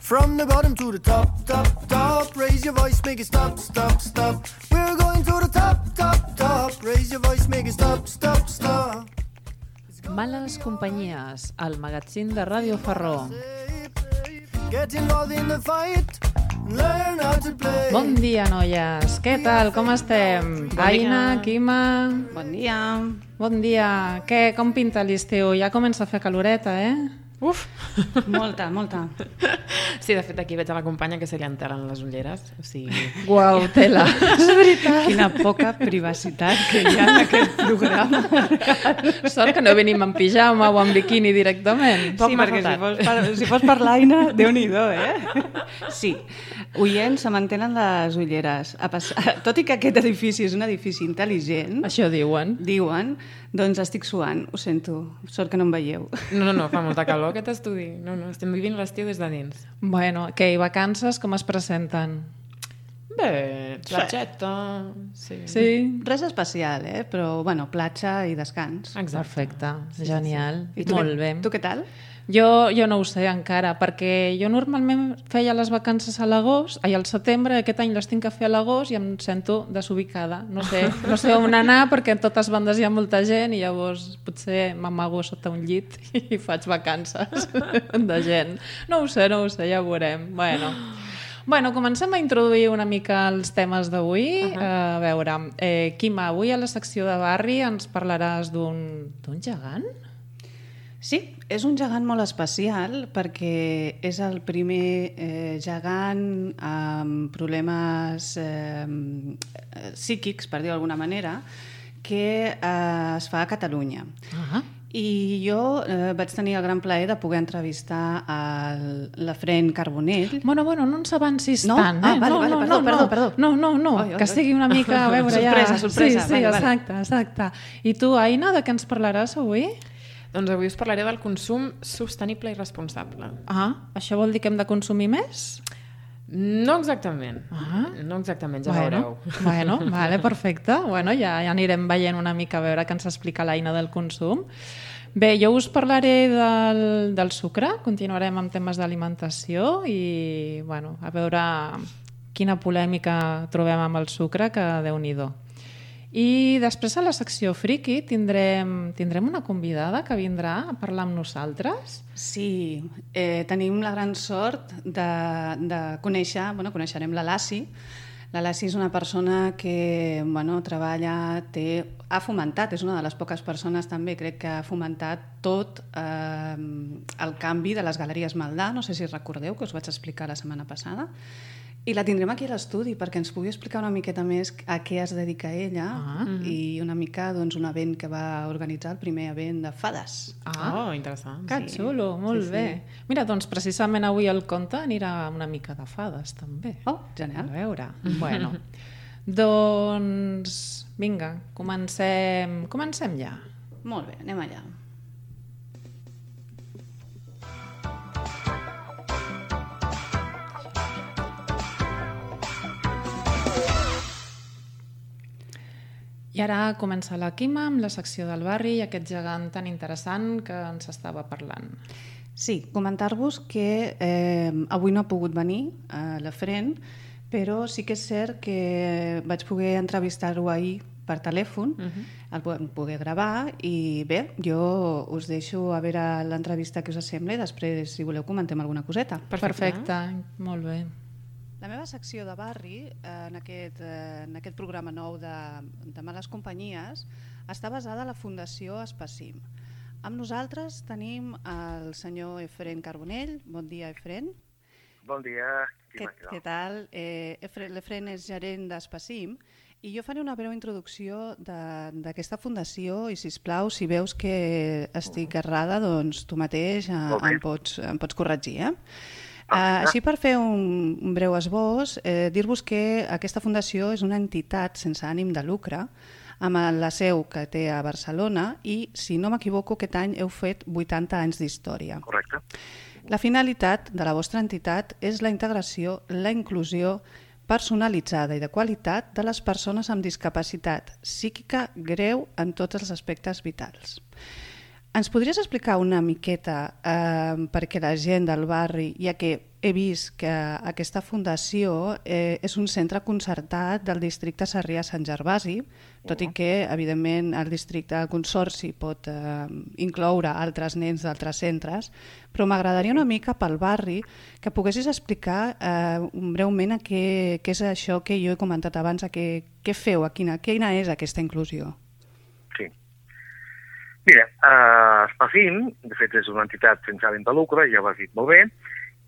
From the bottom to the top, top, top. Raise your voice, make it stop, stop, stop. We're going to the top, top, top. Raise your voice, make it stop, stop, stop. Males companyies, el magazín de Ràdio Ferró. Get involved in the fight. Learn how to play. Bon dia, noies. Què tal? Com estem? Aina, Quima... Bon dia. Bon dia. Què, com pinta l'estiu? Ja comença a fer caloreta, Uf, molta. Sí, de fet aquí veig a la companya que se li enteren les ulleres, o sigui... Guau, tela. És veritat. Quina poca privacitat que hi ha en aquest programa. Sort que no venim en pijama o en biquini directament. Sí, perquè si fos per l'Aina, Déu-n'hi-do, Sí, oients, se mantenen les ulleres. Tot i que aquest edifici és un edifici intel·ligent... Això diuen. Doncs estic suant, ho sento. Sort que no em veieu. No, fa molta calor aquest estudi. No, estem vivint l'estiu des de dins. Bueno, què, i vacances com es presenten? Bé, platgeta... Sí? Res especial, però, bueno, platja i descans. Exacte. Perfecte, genial. I tu, molt bé. Tu què tal? Jo no ho sé encara, perquè jo normalment feia les vacances a l'agost, al setembre, aquest any les tinc a fer a l'agost i em sento desubicada. No sé on anar perquè en totes bandes hi ha molta gent i llavors potser m'amago sota un llit i faig vacances de gent. No ho sé, ja ho veurem. Bueno, comencem a introduir una mica els temes d'avui. A veure, Quima, avui a la secció de barri ens parlaràs d'un gegant? Sí, és un gegant molt especial perquè és el primer gegant amb problemes psíquics, per dir-ho d'alguna manera, que es fa a Catalunya. I jo vaig tenir el gran plaer de poder entrevistar l'Efrén Carbonell. Bueno, no ens avancis tant. Perdó. No, que sigui una mica... A veure, sorpresa. Sí, exacte. I tu, Aina, de què ens parlaràs avui? Doncs avui us parlaré del consum sostenible i responsable. Això vol dir que hem de consumir més? No exactament. Ja veureu. Bueno, vale, perfecte. Ja anirem veient una mica a veure què ens explica l'Aina del consum. Bé, jo us parlaré del sucre, continuarem amb temes d'alimentació i a veure quina polèmica trobem amb el sucre, que Déu-n'hi-do. I després a la secció friki tindrem una convidada que vindrà a parlar amb nosaltres. Sí, tenim la gran sort de coneixerem la Lassi. La Lassi és una persona que treballa, ha fomentat, és una de les poques persones també, crec que ha fomentat tot el canvi de les galeries Maldà, no sé si recordeu, que us vaig explicar la setmana passada. I la tindrem aquí a l'estudi perquè ens pugui explicar una miqueta més a què es dedica ella i una mica un event que va organitzar, el primer event de fades. Interessant. Que xulo, molt bé. Mira, doncs precisament avui el conte anirà una mica de fades també. Genial. A veure, doncs vinga, comencem ja. Molt bé, anem allà. I ara comença la Quima amb la secció del barri i aquest gegant tan interessant que ens estava parlant. Sí, comentar-vos que avui no ha pogut venir l'Efrén, però sí que és cert que vaig poder entrevistar-ho ahir per telèfon, el vam poder gravar i bé, jo us deixo a veure l'entrevista que us sembla i després, si voleu, comentem alguna coseta. Perfecte, molt bé. La meva secció de barri, en aquest programa nou de Males Companyies, està basada a la Fundació Espacim. Amb nosaltres tenim el senyor Efrén Carbonell. Bon dia, Efrén. Bon dia. Què tal? L'Efrén és gerent d'Espacim i jo faré una breu introducció d'aquesta fundació i, sisplau, si veus que estic errada, doncs tu mateix em pots corregir, Així, per fer un breu esbós, dir-vos que aquesta fundació és una entitat sense ànim de lucre, amb la seu que té a Barcelona i, si no m'equivoco, aquest any heu fet 80 anys d'història. Correcte. La finalitat de la vostra entitat és la integració, la inclusió personalitzada i de qualitat de les persones amb discapacitat psíquica greu en tots els aspectes vitals. Ens podries explicar una miqueta perquè la gent del barri, ja que he vist que aquesta fundació és un centre concertat del districte Sarrià-Sant Gervasi, tot i que, evidentment, el districte consorci pot incloure altres nens d'altres centres, però m'agradaria una mica pel barri que poguessis explicar breument què és això que jo he comentat abans, què feu, quina és aquesta inclusió. Sí. Mira, Espafim, de fet, és una entitat sense ànim de lucre, ja ho has dit molt bé,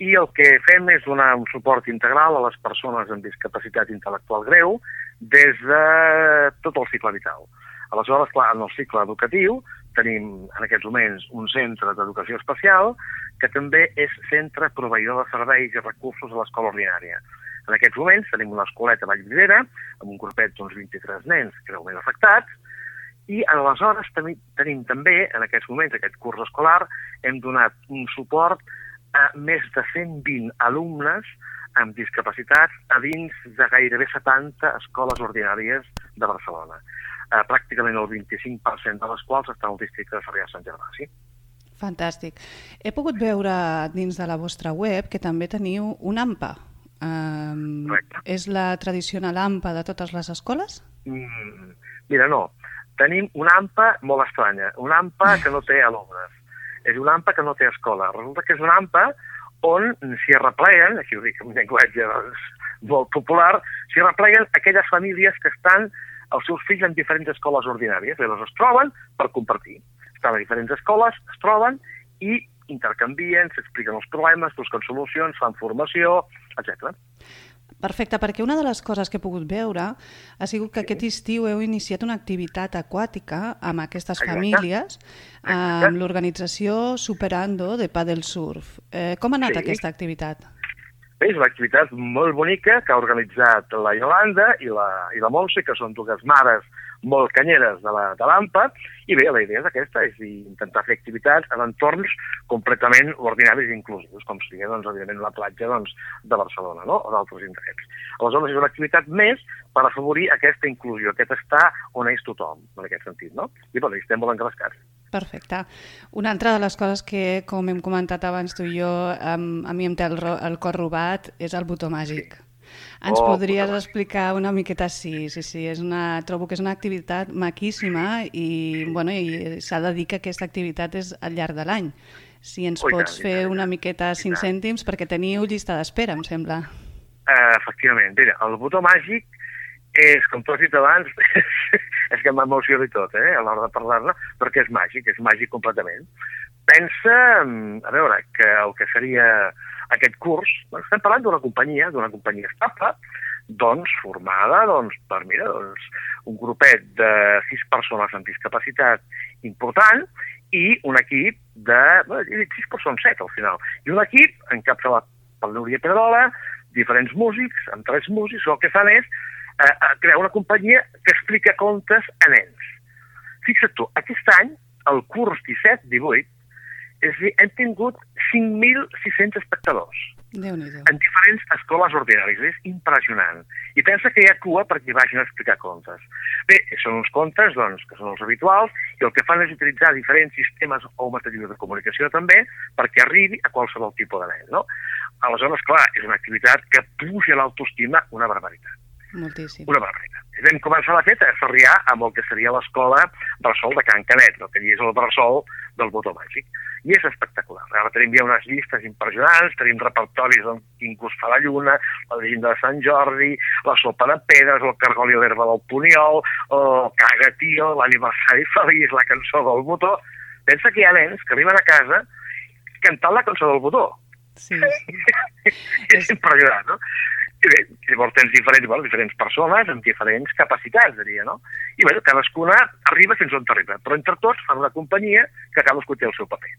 i el que fem és donar un suport integral a les persones amb discapacitat intel·lectual greu des de tot el cicle vital. Aleshores, clar, en el cicle educatiu tenim en aquests moments un centre d'educació especial que també és centre proveïdor de serveis i recursos a l'escola ordinària. En aquests moments tenim una escoleta a Vallvidrera amb un grupet d'uns 23 nens greument afectats i aleshores tenim també, en aquests moments, aquest curs escolar, hem donat un suport a més de 120 alumnes amb discapacitats a dins de gairebé 70 escoles ordinàries de Barcelona. Pràcticament el 25% de les quals està al districte de Sarrià-Sant Gervasi. Fantàstic. He pogut veure dins de la vostra web que també teniu un AMPA. És la tradicional AMPA de totes les escoles? Mira, no. Tenim una AMPA molt estranya, una AMPA que no té alumnes. És una AMPA que no té escola. Resulta que és una AMPA on s'hi arrepleguen, aquí ho dic en un llenguatge molt popular, s'hi arrepleguen aquelles famílies que estan els seus fills en diferents escoles ordinàries. Llavors es troben per compartir. Estan a diferents escoles, es troben i intercanvien, s'expliquen els problemes, busquen solucions, fan formació, etc. Perfecte, perquè una de les coses que he pogut veure ha sigut que aquest estiu heu iniciat una activitat aquàtica amb aquestes famílies, amb l'organització Superando de Paddle Surf. Com ha anat aquesta activitat? Bé, és una activitat molt bonica que ha organitzat la Iolanda i la Montse, que són dues mares molt canyeres de l'AMPA, i bé, la idea és aquesta, és intentar fer activitats en entorns completament ordinaris i inclusius, com sigui, evidentment, la platja de Barcelona, no?, o d'altres indrets. Aleshores, és una activitat més per afavorir aquesta inclusió, aquest estar on és tothom, en aquest sentit, no? I, bé, estem molt engrescats. Perfecte. Una altra de les coses que, com hem comentat abans tu i jo, a mi em té el cor robat, és el botó màgic. Sí. Ens podries explicar una miqueta? Sí, trobo que és una activitat maquíssima i s'ha de dir que aquesta activitat és al llarg de l'any. Si ens pots fer una miqueta 5 cèntims, perquè teniu llista d'espera, em sembla. Efectivament. Mira, el botó màgic és, com tu has dit abans, és que m'emociona i tot, a l'hora de parlar-ne, perquè és màgic completament. Pensa, a veure, que el que seria aquest curs, estem parlant d'una companyia estable, formada per, un grupet de 6 persones amb discapacitat important i un equip de, 6 persones, 7 al final, i un equip encapçalat per Núria Pedrola, diferents músics, amb 3 músics, el que fan és crear una companyia que explica contes a nens. Fixa't tu, aquest any, el curs 17-18, és a dir, hem tingut 5.600 espectadors en diferents escoles ordinàries. És impressionant. I pensa que hi ha cua perquè vagin a explicar contes. Bé, són uns contes que són els habituals i el que fan és utilitzar diferents sistemes o materials de comunicació també perquè arribi a qualsevol tipus de nen, no? Aleshores, clar, és una activitat que puja l'autoestima una barbaritat. Moltíssim. Una barbaritat. Vam començar la feta a Sarrià amb el que seria l'escola Bressol de Can Canet, el que és el bressol del botó màgic. I és espectacular. Ara tenim ja unes llistes impressionants, tenim repertoris on quin gust fa la lluna, la llegenda de Sant Jordi, la sopa de pedres, el cargol i l'herba del Puniol, el caga tio, l'aniversari feliç, la cançó del botó. Pensa que hi ha nens que arriben a casa cantant la cançó del botó. Sí. És impressionant, no? I bé, llavors tens diferents persones amb diferents capacitats, diria, no? I bé, cadascuna arriba fins on arriba, però entre tots fan una companyia que cadascú té el seu paper.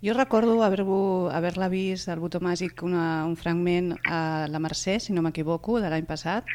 Jo recordo haver-la vist, el botó màgic, un fragment a la Mercè, si no m'equivoco, de l'any passat,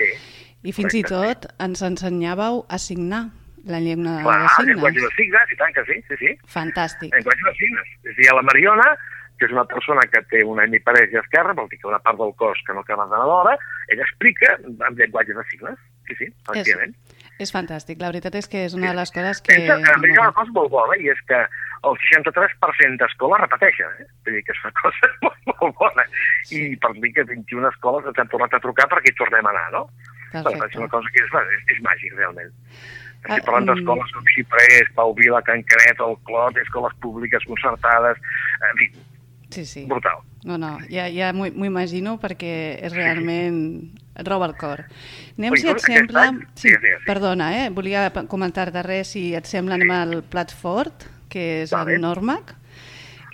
i fins i tot ens ensenyàveu a signar la llengua de signes. Llenguatge de signes, i tant que sí. Fantàstic. Llenguatge de signes. És a dir, la Mariona, que és una persona que té una hemiparèsia esquerra, vol dir que una part del cos que no acaba d'anar d'hora, ella explica amb llenguatge de signes. Sí, efectivament. És fantàstic, la veritat és que és una de les coses que... Pensa que hi ha una cosa molt bona, i és que el 63% d'escoles repeteixen, vull dir que és una cosa molt bona, i per dir que 21 escoles ens han tornat a trucar perquè hi tornem a anar, no? Perfecte. És una cosa que és màgic, realment. Estic parlant d'escoles com Xiprés, Pau Vila, Can Canet, el Clot, escoles públiques concertades, en fi, sí. Brutal. No, ja m'ho imagino perquè és realment... et roba el cor. Anem, si et sembla... Sí, perdona, volia comentar-te res, si et sembla, anem al plat fort, que és el Normac,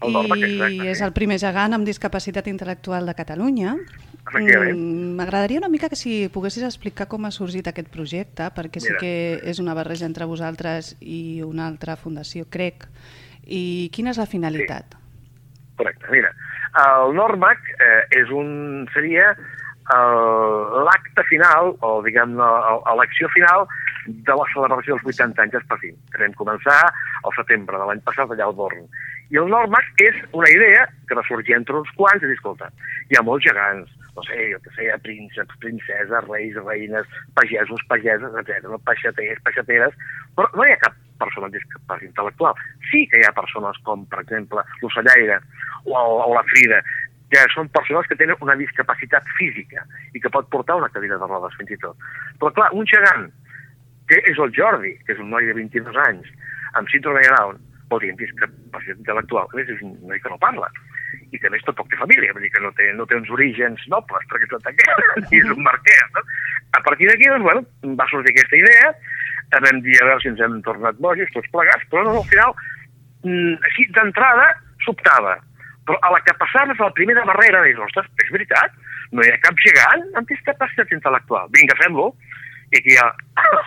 i és el primer gegant amb discapacitat intel·lectual de Catalunya. M'agradaria una mica que si poguessis explicar com ha sorgit aquest projecte, perquè sé que és una barreja entre vosaltres i una altra fundació, crec, i quina és la finalitat? Correcte, mira, el Normac seria l'acte final, o diguem-ne, l'acció final de la celebració dels 80 anys d'Espacín, que vam començar al setembre de l'any passat allà al Born. I el Normac és una idea que va sorgir entre uns quants i dir, escolta, hi ha molts gegants, no sé, jo que sé, prínceps, princeses, reis, reines, pagesos, pageses, etc., peixaters, peixateres, però no hi ha cap persona amb discapacitat intel·lectual. Sí que hi ha persones com, per exemple, l'ocellaire o la Frida, que són persones que tenen una discapacitat física i que pot portar una cadira de rodes, fins i tot. Però, clar, un gegant, que és el Jordi, que és un noi de 22 anys, amb síndrome de Down, vol dir, amb discapacitat intel·lectual, a més és un noi que no parla, i que a més tampoc té família, vull dir que no té uns orígens nobles, perquè tot aquest, i és un marquès, no? A partir d'aquí, doncs, bueno, va sortir aquesta idea, vam dir a veure si ens hem tornat bojos, tots plegats, però no, al final, així d'entrada, sobtava. Però a la que passaves a la primera barrera, dius, ostres, és veritat, no hi ha cap gegant amb discapacitat intel·lectual. Vinga, fem-lo. I aquí hi ha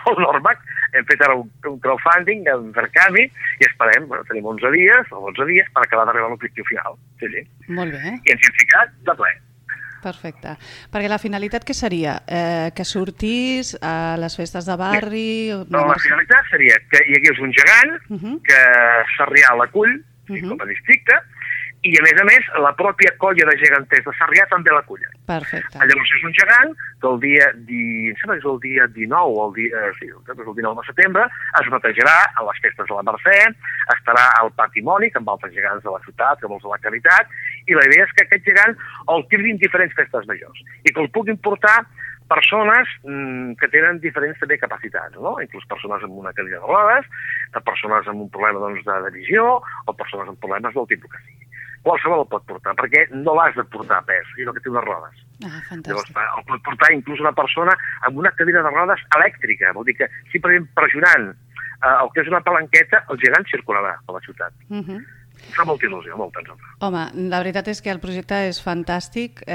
el Normac, hem fet ara un crowdfunding, un Verkami, i esperem, tenim 11 dies per acabar d'arribar a l'objectiu final. Sí. Molt bé. I ens hem ficat de ple. Perfecte. Perquè la finalitat què seria? Que sortís a les festes de barri? No, la finalitat seria que hi hagués un gegant que Sarrià l'acull, com a districte, i a més, la pròpia colla de geganters de Sarrià també l'acullen. Perfecte. Llavors és un gegant que el dia 19 de setembre es netejarà a les festes de la Mercè, estarà al patrimoni amb altres gegants de la ciutat, com els de la Caritat, i la idea és que aquest gegant el tirin diferents festes majors i que el puguin portar persones que tenen diferents també capacitats, no? Inclús persones amb una cadira de rodes, persones amb un problema de visió o persones amb problemes del tipus que sigui. Qualsevol el pot portar, perquè no l'has de portar a pes, sinó que té unes rodes. Fantàstic. Llavors, el pot portar inclús una persona amb una cadira de rodes elèctrica, vol dir que simplement pressionant el que és una palanqueta, el gegant circularà per la ciutat. Fa molta il·lusió, molta. Home, la veritat és que el projecte és fantàstic.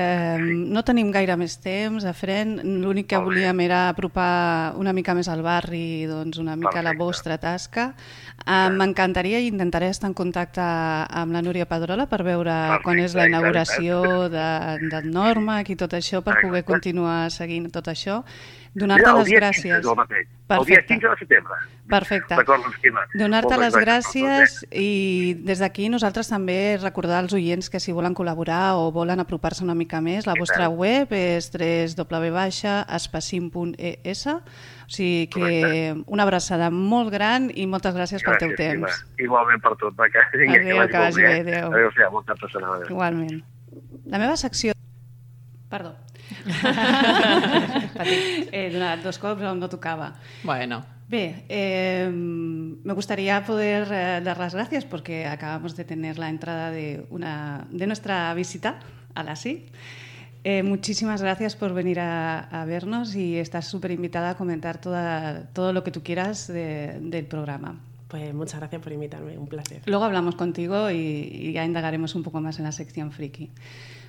No tenim gaire més temps, Efren. L'únic que volíem era apropar una mica més al barri, doncs una mica la vostra tasca. M'encantaria i intentaré estar en contacte amb la Núria Pedrola per veure quan és la inauguració del Normac i tot això, per poder continuar seguint tot això. Donar-te les gràcies. El dia 15 de setembre. Perfecte. Donar-te les gràcies i des d'aquí nosaltres també recordar als oients que si volen col·laborar o volen apropar-se una mica més, la vostra web és www.espacin.es. O sigui que una abraçada molt gran i moltes gràcies pel teu temps. Igualment per tot. Adéu, que vagi bé. Adéu, molta persona. Igualment. La meva secció... Perdó. He donat 2 cops on no tocaba. Bueno. Bé, me gustaría poder dar las gracias porque acabamos de tener la entrada de nuestra visita a la SI. Muchísimas gracias por venir a vernos y estás súper invitada a comentar todo lo que tú quieras del programa. Pues muchas gracias por invitarme, un placer. Luego hablamos contigo y ya indagaremos un poco más en la sección friki.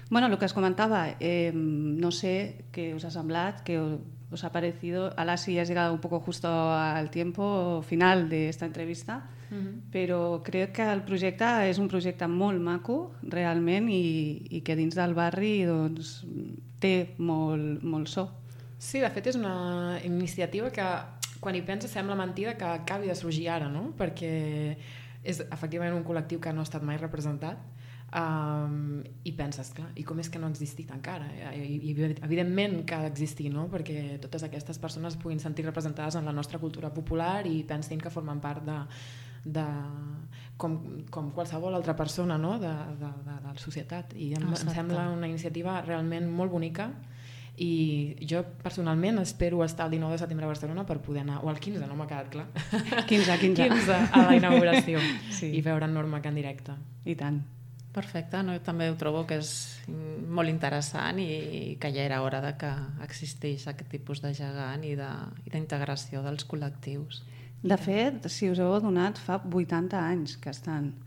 Bueno, lo que os comentaba, no sé qué os ha semblat, qué os ha parecido. Ahora sí has llegado un poco justo al tiempo final de esta entrevista, però crec que el projecte és un projecte molt maco, realment, i que dins del barri doncs, té molt so. Sí, de fet és una iniciativa que quan hi penses sembla mentida que acabi de sorgir ara, no? Perquè és efectivament un col·lectiu que no ha estat mai representat. I penses, clar, i com és que no ha existit encara? I evidentment que ha d'existir, no? Perquè totes aquestes persones puguin sentir representades en la nostra cultura popular i pensin que formen part de com qualsevol altra persona, no? de la societat. I em sembla una iniciativa realment molt bonica i jo personalment espero estar el 19 de setembre a Barcelona per poder anar, o el 15, no m'ha quedat clar. 15 a la inauguració sí. I veure en Norma en directe. I tant. Perfecte, no? També ho trobo que és molt interessant i que ja era hora de que existeix aquest tipus de gegant i d'integració dels col·lectius. De fet, si us heu adonat, fa 80 anys que estan.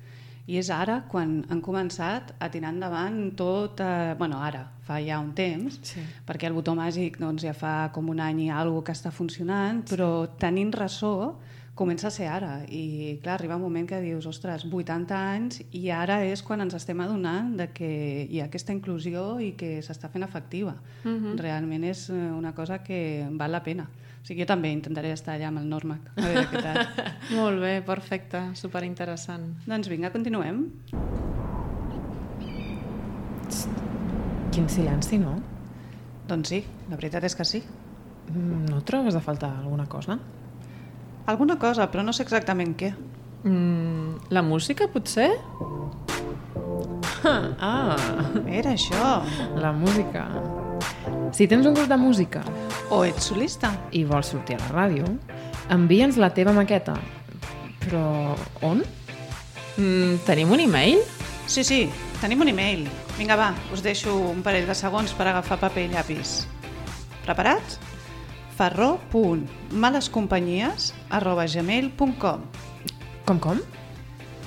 I és ara quan han començat a tirar endavant tot... ara, fa ja un temps, sí. Perquè el botó màgic doncs, ja fa com un any i alguna que està funcionant, però tenint ressò comença a ser ara. I clar, arriba un moment que dius, ostres, 80 anys i ara és quan ens estem adonant de que hi ha aquesta inclusió i que s'està fent efectiva. Realment és una cosa que val la pena. O sigui, jo també intentaré estar allà amb el Normac, a veure què tal. Molt bé, perfecte, superinteressant. Doncs vinga, continuem. Quin silenci, no? Doncs sí, la veritat és que sí. No trobes a faltar alguna cosa? Alguna cosa, però no sé exactament què. La música, potser? Era això. La música. Si tens un grup de música o ets solista i vols sortir a la ràdio, envia'ns la teva maqueta. Però on? Tenim un e-mail? Sí, tenim un e-mail. Vinga, va, us deixo un parell de segons per agafar paper i llapis. Preparats? farro.malescompanyies@gmail.com. Com?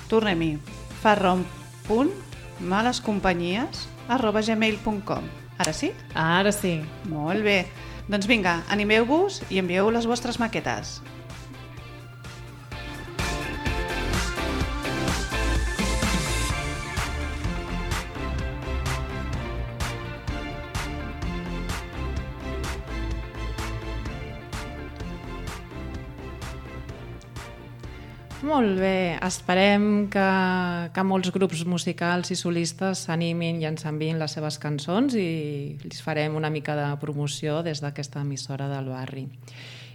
Tornem-hi. farro.malescompanyies@gmail.com. Ara sí? Ara sí. Molt bé. Doncs vinga, animeu-vos i envieu les vostres maquetes. Molt bé, esperem que molts grups musicals i solistes s'animin i ens enviïn les seves cançons i els farem una mica de promoció des d'aquesta emissora del barri.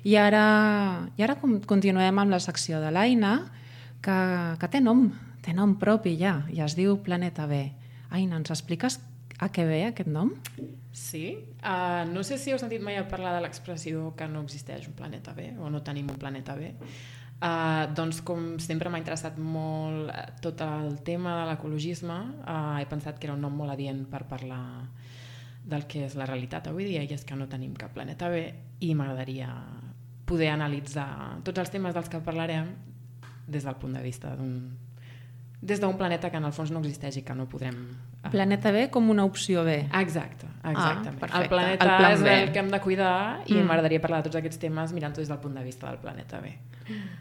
I ara continuem amb la secció de l'Aina, que té nom propi ja, i es diu Planeta B. Aina, ens expliques a què ve aquest nom? Sí, no sé si heu sentit mai parlar de l'expressió que no existeix un planeta B o no tenim un planeta B. Doncs com sempre m'ha interessat molt tot el tema de l'ecologisme, he pensat que era un nom molt adient per parlar del que és la realitat avui dia, i és que no tenim cap planeta B, i m'agradaria poder analitzar tots els temes dels que parlarem des del punt de vista d'un planeta que en el fons no existeix i que no podrem... Planeta B com una opció B. Exactament. Perfecte. El planeta és el que hem de cuidar i m'agradaria parlar de tots aquests temes mirant-ho des del punt de vista del planeta B.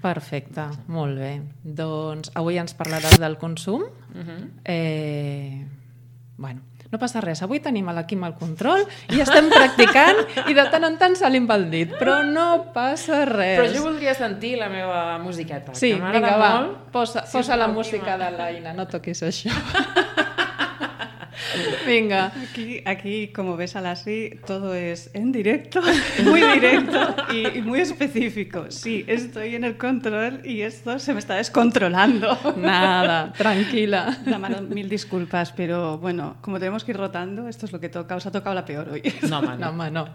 Perfecte, molt bé. Doncs avui ens parlaràs del consum. Bueno, no passa res, avui tenim l'Quim al control i estem practicant i de tant en tant salim pel dit, però no passa res. Però jo voldria sentir la meva musiqueta. Sí, que vinga, va, molt. posa la música de l'Aina, no toquis això. Venga. Aquí, como ves a Lassi, todo es en directo, muy directo y muy específico. Sí, estoy en el control y esto se me está descontrolando. Nada, tranquila. Mil disculpas, pero bueno, como tenemos que ir rotando, esto es lo que toca. Os ha tocado la peor hoy. No, home, no.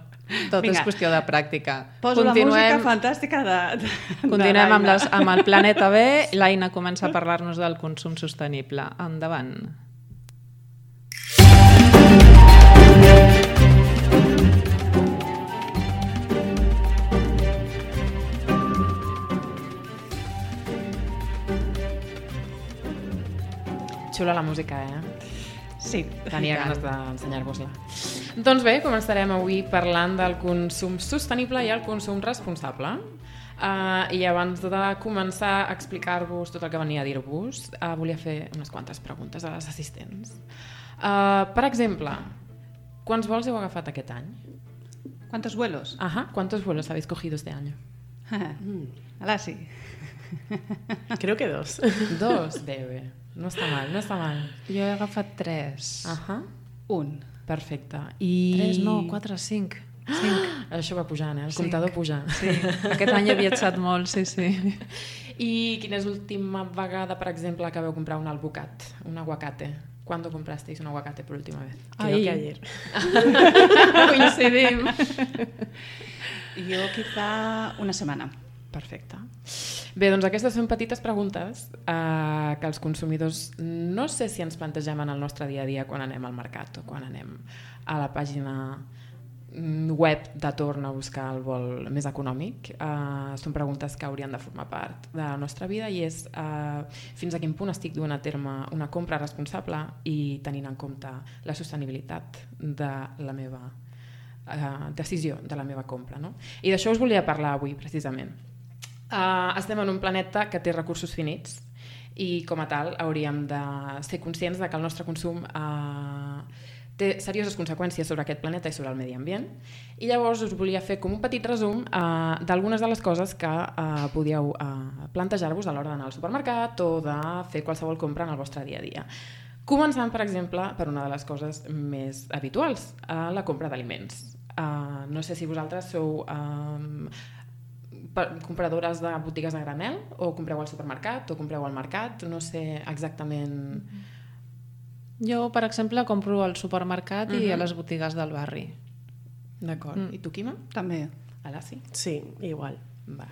Tot és qüestió de pràctica. Poso la música fantàstica Continuem amb el Planeta B. L'Aina comença a parlar-nos del consum sostenible. Endavant. Xula la música, Sí. Tenia ganes d'ensenyar-vos-la. Doncs bé, començarem avui parlant del consum sostenible i el consum responsable. I abans de començar a explicar-vos tot el que venia a dir-vos, volia fer unes quantes preguntes a les assistents. Per exemple, quants vols heu agafat aquest any? ¿Cuántos vuelos? ¿Cuántos vuelos habéis cogido este año? Ahora sí. Creo que 2. 2? Bé. No està mal, no està mal. Jo he agafat 3. Un. Perfecte. 3, no, 4, 5. 5. Això va pujant, el comptador puja. Sí, aquest any he viatjat molt, sí. I quina és l'última vegada, per exemple, que vau comprar un albocat, un aguacate? ¿Cuándo comprasteis un aguacate por última vez? Creo que ayer. Coincidim. Jo quizá una setmana. Perfecte. Bé, doncs aquestes són petites preguntes que els consumidors no sé si ens plantegem en el nostre dia a dia quan anem al mercat o quan anem a la pàgina web de torn a buscar el vol més econòmic. Són preguntes que haurien de formar part de la nostra vida i és fins a quin punt estic duent a terme una compra responsable i tenint en compte la sostenibilitat de la meva decisió, de la meva compra, no? I d'això us volia parlar avui, precisament. Estem en un planeta que té recursos finits i com a tal hauríem de ser conscients de que el nostre consum té serioses conseqüències sobre aquest planeta i sobre el medi ambient i llavors us volia fer com un petit resum d'algunes de les coses que podíeu plantejar-vos a l'hora d'anar al supermercat o de fer qualsevol compra en el vostre dia a dia. Començant, per exemple, per una de les coses més habituals, la compra d'aliments. No sé si vosaltres sou compradores de botigues a granel o compreu al supermercat o compreu al mercat, no sé exactament... Jo, per exemple, compro al supermercat i a les botigues del barri. D'acord. I tu, Quima? També. Ala, sí? Sí, igual. Va.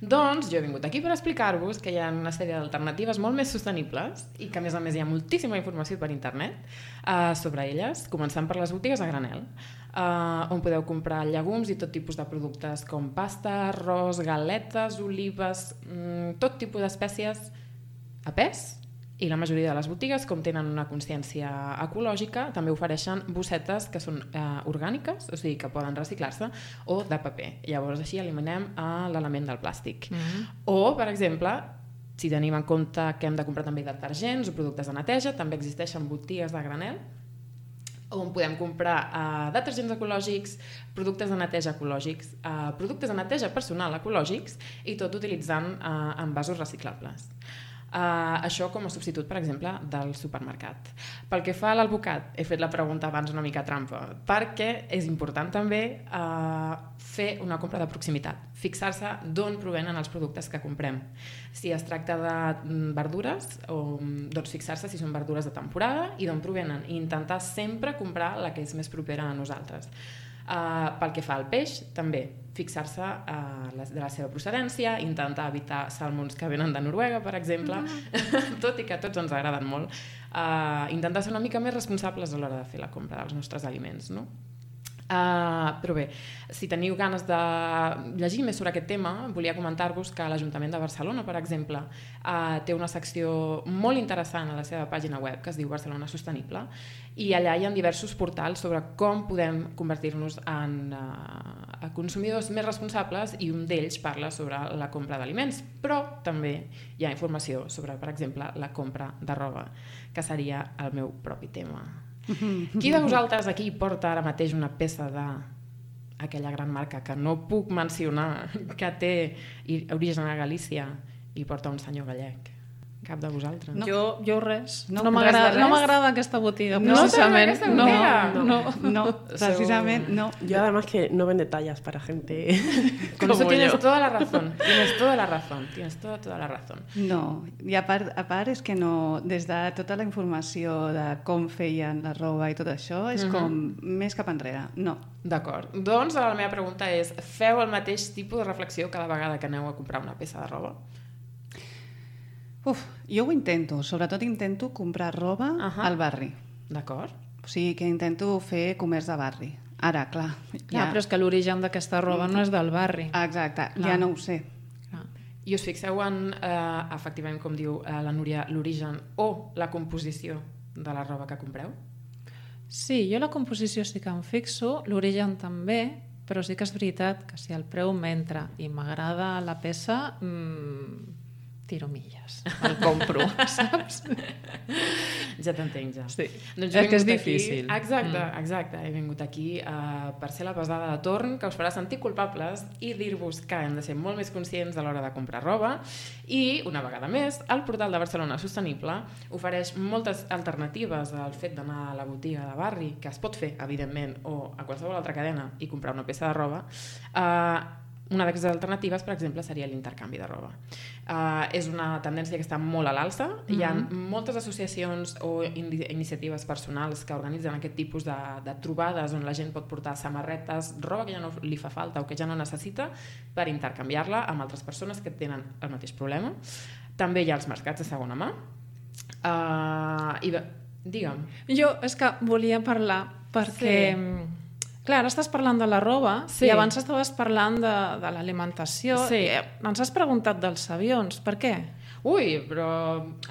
Doncs jo he vingut aquí per explicar-vos que hi ha una sèrie d'alternatives molt més sostenibles i que a més hi ha moltíssima informació per internet sobre elles, començant per les botigues a granel, on podeu comprar llegums i tot tipus de productes com pasta, arròs, galetes, olives, tot tipus d'espècies a pes. I la majoria de les botigues, com tenen una consciència ecològica, també ofereixen bossetes que són orgàniques, o sigui que poden reciclar-se, o de paper. Llavors així eliminem l'element del plàstic. O, per exemple, si tenim en compte que hem de comprar també detergents o productes de neteja, també existeixen botigues de granel on podem comprar detergents ecològics, productes de neteja ecològics, productes de neteja personal ecològics i tot utilitzant envasos reciclables. Això com a substitut, per exemple, del supermercat. Pel que fa a l'albocat, he fet la pregunta abans una mica trampa, perquè és important també fer una compra de proximitat, fixar-se d'on provenen els productes que comprem. Si es tracta de verdures, doncs fixar-se si són verdures de temporada i d'on provenen, i intentar sempre comprar la que és més propera a nosaltres. Pel que fa al peix, també fixar-se de la seva procedència, intentar evitar salmons que venen de Noruega, per exemple, tot i que a tots ens agraden molt, intentar ser una mica més responsables a l'hora de fer la compra dels nostres aliments, no? Però bé, si teniu ganes de llegir més sobre aquest tema, volia comentar-vos que l'Ajuntament de Barcelona, per exemple, té una secció molt interessant a la seva pàgina web que es diu Barcelona Sostenible i allà hi ha diversos portals sobre com podem convertir-nos en consumidors més responsables i un d'ells parla sobre la compra d'aliments, però també hi ha informació sobre, per exemple, la compra de roba, que seria el meu propi tema. Qui de vosaltres aquí porta ara mateix una peça d'aquella gran marca que no puc mencionar, que té origen a Galícia i porta un senyor gallec? Cap de vosaltres? No. Jo res. No, no m'agrada aquesta botiga, precisament. No, precisament no. Yo además que no vende tallas para gente Con eso tienes toda la razón. Tienes toda la razón. No, i a part és que no, des de tota la informació de com feien la roba i tot això, és com més cap enrere. No. D'acord. Doncs la meva pregunta és, feu el mateix tipus de reflexió cada vegada que aneu a comprar una peça de roba? Jo ho intento, sobretot intento comprar roba al barri. D'acord. O sigui que intento fer comerç de barri. Ara, clar. Però és que l'origen d'aquesta roba no és del barri. Exacte, ja no ho sé. I us fixeu en, efectivament, com diu la Núria, l'origen o la composició de la roba que compreu? Sí, jo la composició sí que em fixo, l'origen també, però sí que és veritat que si el preu m'entra i m'agrada la peça, tiro milles, el compro, saps? Ja t'entenc, ja. Sí. Doncs jo he És que és vingut aquí- difícil. Exacte. He vingut aquí per ser la pesada de torn que us farà sentir culpables i dir-vos que hem de ser molt més conscients a l'hora de comprar roba i, una vegada més, el portal de Barcelona Sostenible ofereix moltes alternatives al fet d'anar a la botiga de barri, que es pot fer, evidentment, o a qualsevol altra cadena i comprar una peça de roba. Una d'aquestes alternatives, per exemple, seria l'intercanvi de roba. És una tendència que està molt a l'alça. Hi ha moltes associacions o iniciatives personals que organitzen aquest tipus de trobades on la gent pot portar samarretes, roba que ja no li fa falta o que ja no necessita, per intercanviar-la amb altres persones que tenen el mateix problema. També hi ha els mercats de segona mà. Digue'm. Jo és que volia parlar perquè... Sí. Clar, ara estàs parlant de la roba Sí. i abans estaves parlant de l'alimentació. Sí. I ens has preguntat dels avions. Per què? Ui, però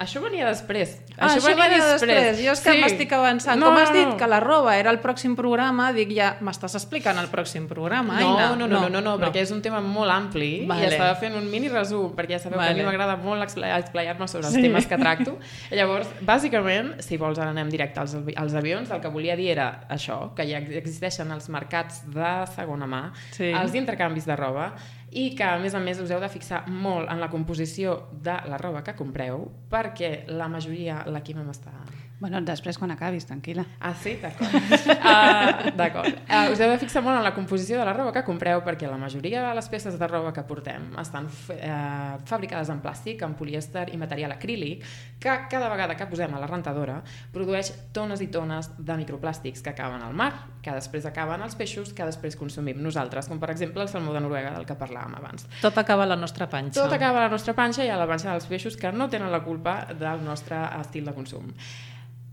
això venia després. Això venia després. Jo és que Sí. m'estic avançant. No, Com has dit no. que la roba era el pròxim programa, dic ja, m'estàs explicant el pròxim programa, Aina? No, perquè és un tema molt ampli Vale. i estava fent un mini resum, perquè ja sabeu que a mi Vale. m'agrada molt explayar-me sobre els temes que tracto. Llavors, bàsicament, si vols ara anem directe als avions, el que volia dir era això, que ja existeixen els mercats de segona mà, Sí. els intercanvis de roba, i que, a més us heu de fixar molt en la composició de la roba que compreu, perquè la majoria, la Quima m'està... Bueno, després quan acabis, tranquil·la. Ah, sí? D'acord. D'acord. Us heu de fixar molt en la composició de la roba que compreu, perquè la majoria de les peces de roba que portem estan fabricades en plàstic, en polièster i material acrílic, que cada vegada que posem a la rentadora produeix tones i tones de microplàstics que acaben al mar, que després acaben als peixos, que després consumim nosaltres, com per exemple el salmó de Noruega del que parlàvem abans. Tot acaba a la nostra panxa. Tot acaba a la nostra panxa i a la panxa dels peixos, que no tenen la culpa del nostre estil de consum.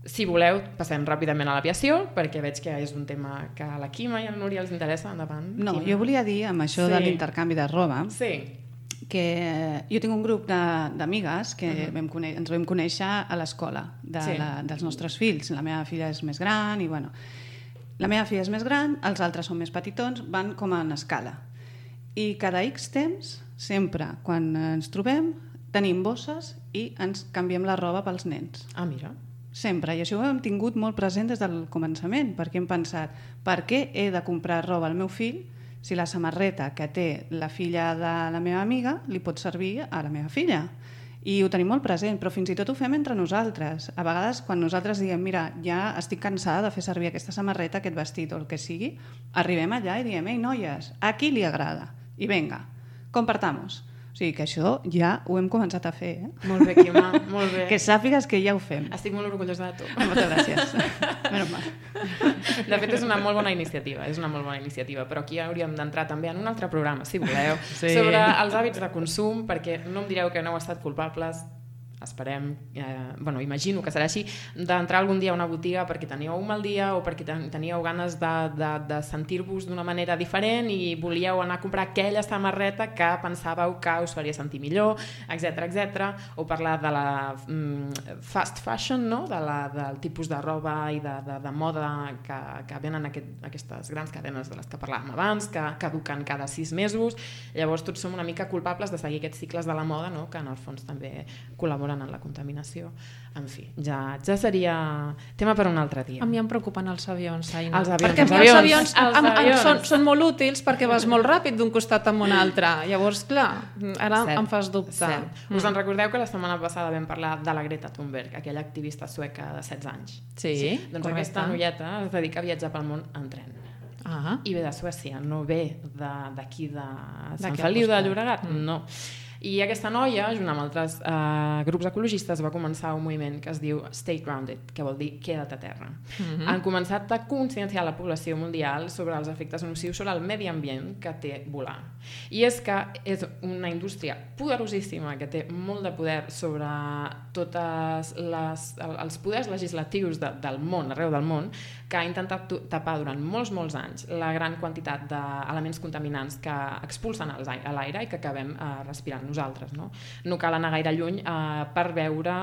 Si voleu, passem ràpidament a l'aviació, perquè veig que és un tema que a la Quima i a la Núria els interessa. Endavant. No, Quima. jo volia dir, amb això Sí. de l'intercanvi de roba, Sí. que jo tinc un grup d'amigues que ens vam conèixer a l'escola Sí. dels nostres fills. La meva filla és més gran i, bueno, la meva filla és més gran, els altres són més petitons, van com en escala. I cada X temps, sempre, quan ens trobem, tenim bosses i ens canviem la roba pels nens. Ah, mira. Sempre, i això ho hem tingut molt present des del començament, perquè hem pensat, per què he de comprar roba al meu fill si la samarreta que té la filla de la meva amiga li pot servir a la meva filla? I ho tenim molt present, però fins i tot ho fem entre nosaltres. A vegades, quan nosaltres diem, mira, ja estic cansada de fer servir aquesta samarreta, aquest vestit o el que sigui, arribem allà i diem, ei, noies, a qui li agrada? I vinga, compartamos. O sigui que això ja ho hem començat a fer, Molt bé, Quima, molt bé. Que sàpigues que ja ho fem. Estic molt orgullosa de tu. Moltes gràcies. Menos mal. De fet, és una molt bona iniciativa, però aquí hauríem d'entrar també en un altre programa, si voleu, sobre els hàbits de consum, perquè no em direu que no heu estat culpables, esperem, imagino que serà així, d'entrar algun dia a una botiga perquè teníeu un mal dia o perquè teníeu ganes de sentir-vos d'una manera diferent i volíeu anar a comprar aquella samarreta que pensàveu que us faria sentir millor, etc. O parlar de la fast fashion, no? Del tipus de roba i de moda que venen aquestes grans cadenes de les que parlàvem abans, que caduquen cada 6 mesos. Llavors tots som una mica culpables de seguir aquests cicles de la moda, no? Que en el fons també col·laboren en la contaminació. En fi, ja seria tema per un altre dia. A mi em preocupen els avions, Aina. Els avions, perquè els a mi avions, són molt útils perquè vas molt ràpid d'un costat a un altre. Llavors, clar, ara em fas dubtar. Us en recordeu que la setmana passada vam parlar de la Greta Thunberg, aquella activista sueca de 16 anys? Sí, Doncs correcte. aquesta noieta es dedica a viatjar pel món en tren. Ah, I ve de Suècia, no ve d'aquí de Sant D'aquí al Feliu de costat. Llobregat, no. I aquesta noia, junt amb altres grups ecologistes, va començar un moviment que es diu Stay Grounded, que vol dir queda't a terra. Han començat a conscienciar la població mundial sobre els efectes nocius sobre el medi ambient que té volar. I és que és una indústria poderosíssima que té molt de poder sobre tots els poders legislatius del món, arreu del món, que ha intentat tapar durant molts anys la gran quantitat d'elements contaminants que expulsen a l'aire i que acabem respirant nosaltres. No cal anar gaire lluny per veure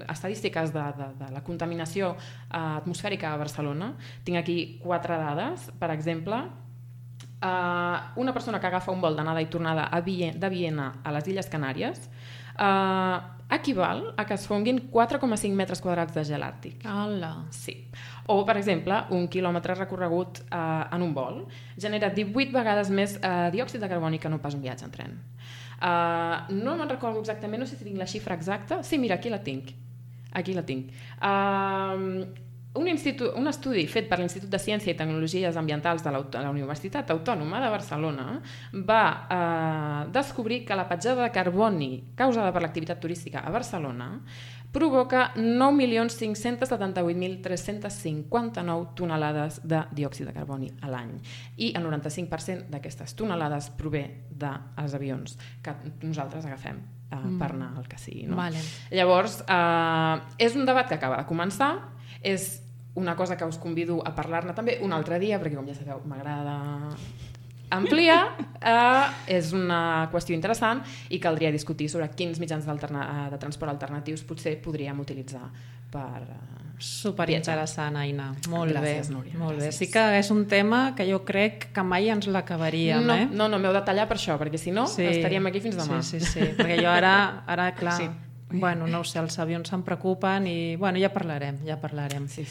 estadístiques de la contaminació atmosfèrica a Barcelona. Tinc aquí 4 dades. Per exemple, una persona que agafa un vol d'anada i tornada de Viena a les Illes Canàries equival a que es fonguin 4,5 metres quadrats de gel àrtic. Hola. Sí. O, per exemple, un quilòmetre recorregut en un vol genera 18 vegades més diòxid de carboni que no pas un viatge en tren. No me'n recordo exactament, no sé si tinc la xifra exacta. Sí, mira, aquí la tinc. Un estudi fet per l'Institut de Ciència i Tecnologies Ambientals de la Universitat Autònoma de Barcelona va descobrir que la petjada de carboni causada per l'activitat turística a Barcelona provoca 9.578.359 tonelades de diòxid de carboni a l'any. I el 95% d'aquestes tonelades prové dels avions que nosaltres agafem per anar al que sigui. No? Vale. Llavors, és un debat que acaba de començar, és una cosa que us convido a parlar-ne també un altre dia, perquè com ja sabeu m'agrada ampliar, és una qüestió interessant i caldria discutir sobre quins mitjans de transport alternatius potser podríem utilitzar per Superinteressant, Aina. Molt Gràcies, bé. Núria, Molt bé. gràcies. Sí que és un tema que jo crec que mai ens l'acabaríem, eh? No, m'heu de tallar per això, perquè si no estaríem aquí fins demà. Sí, perquè jo ara clar, Sí. bueno, no ho sé, els avions se'n preocupen i bueno, ja parlarem. Sí.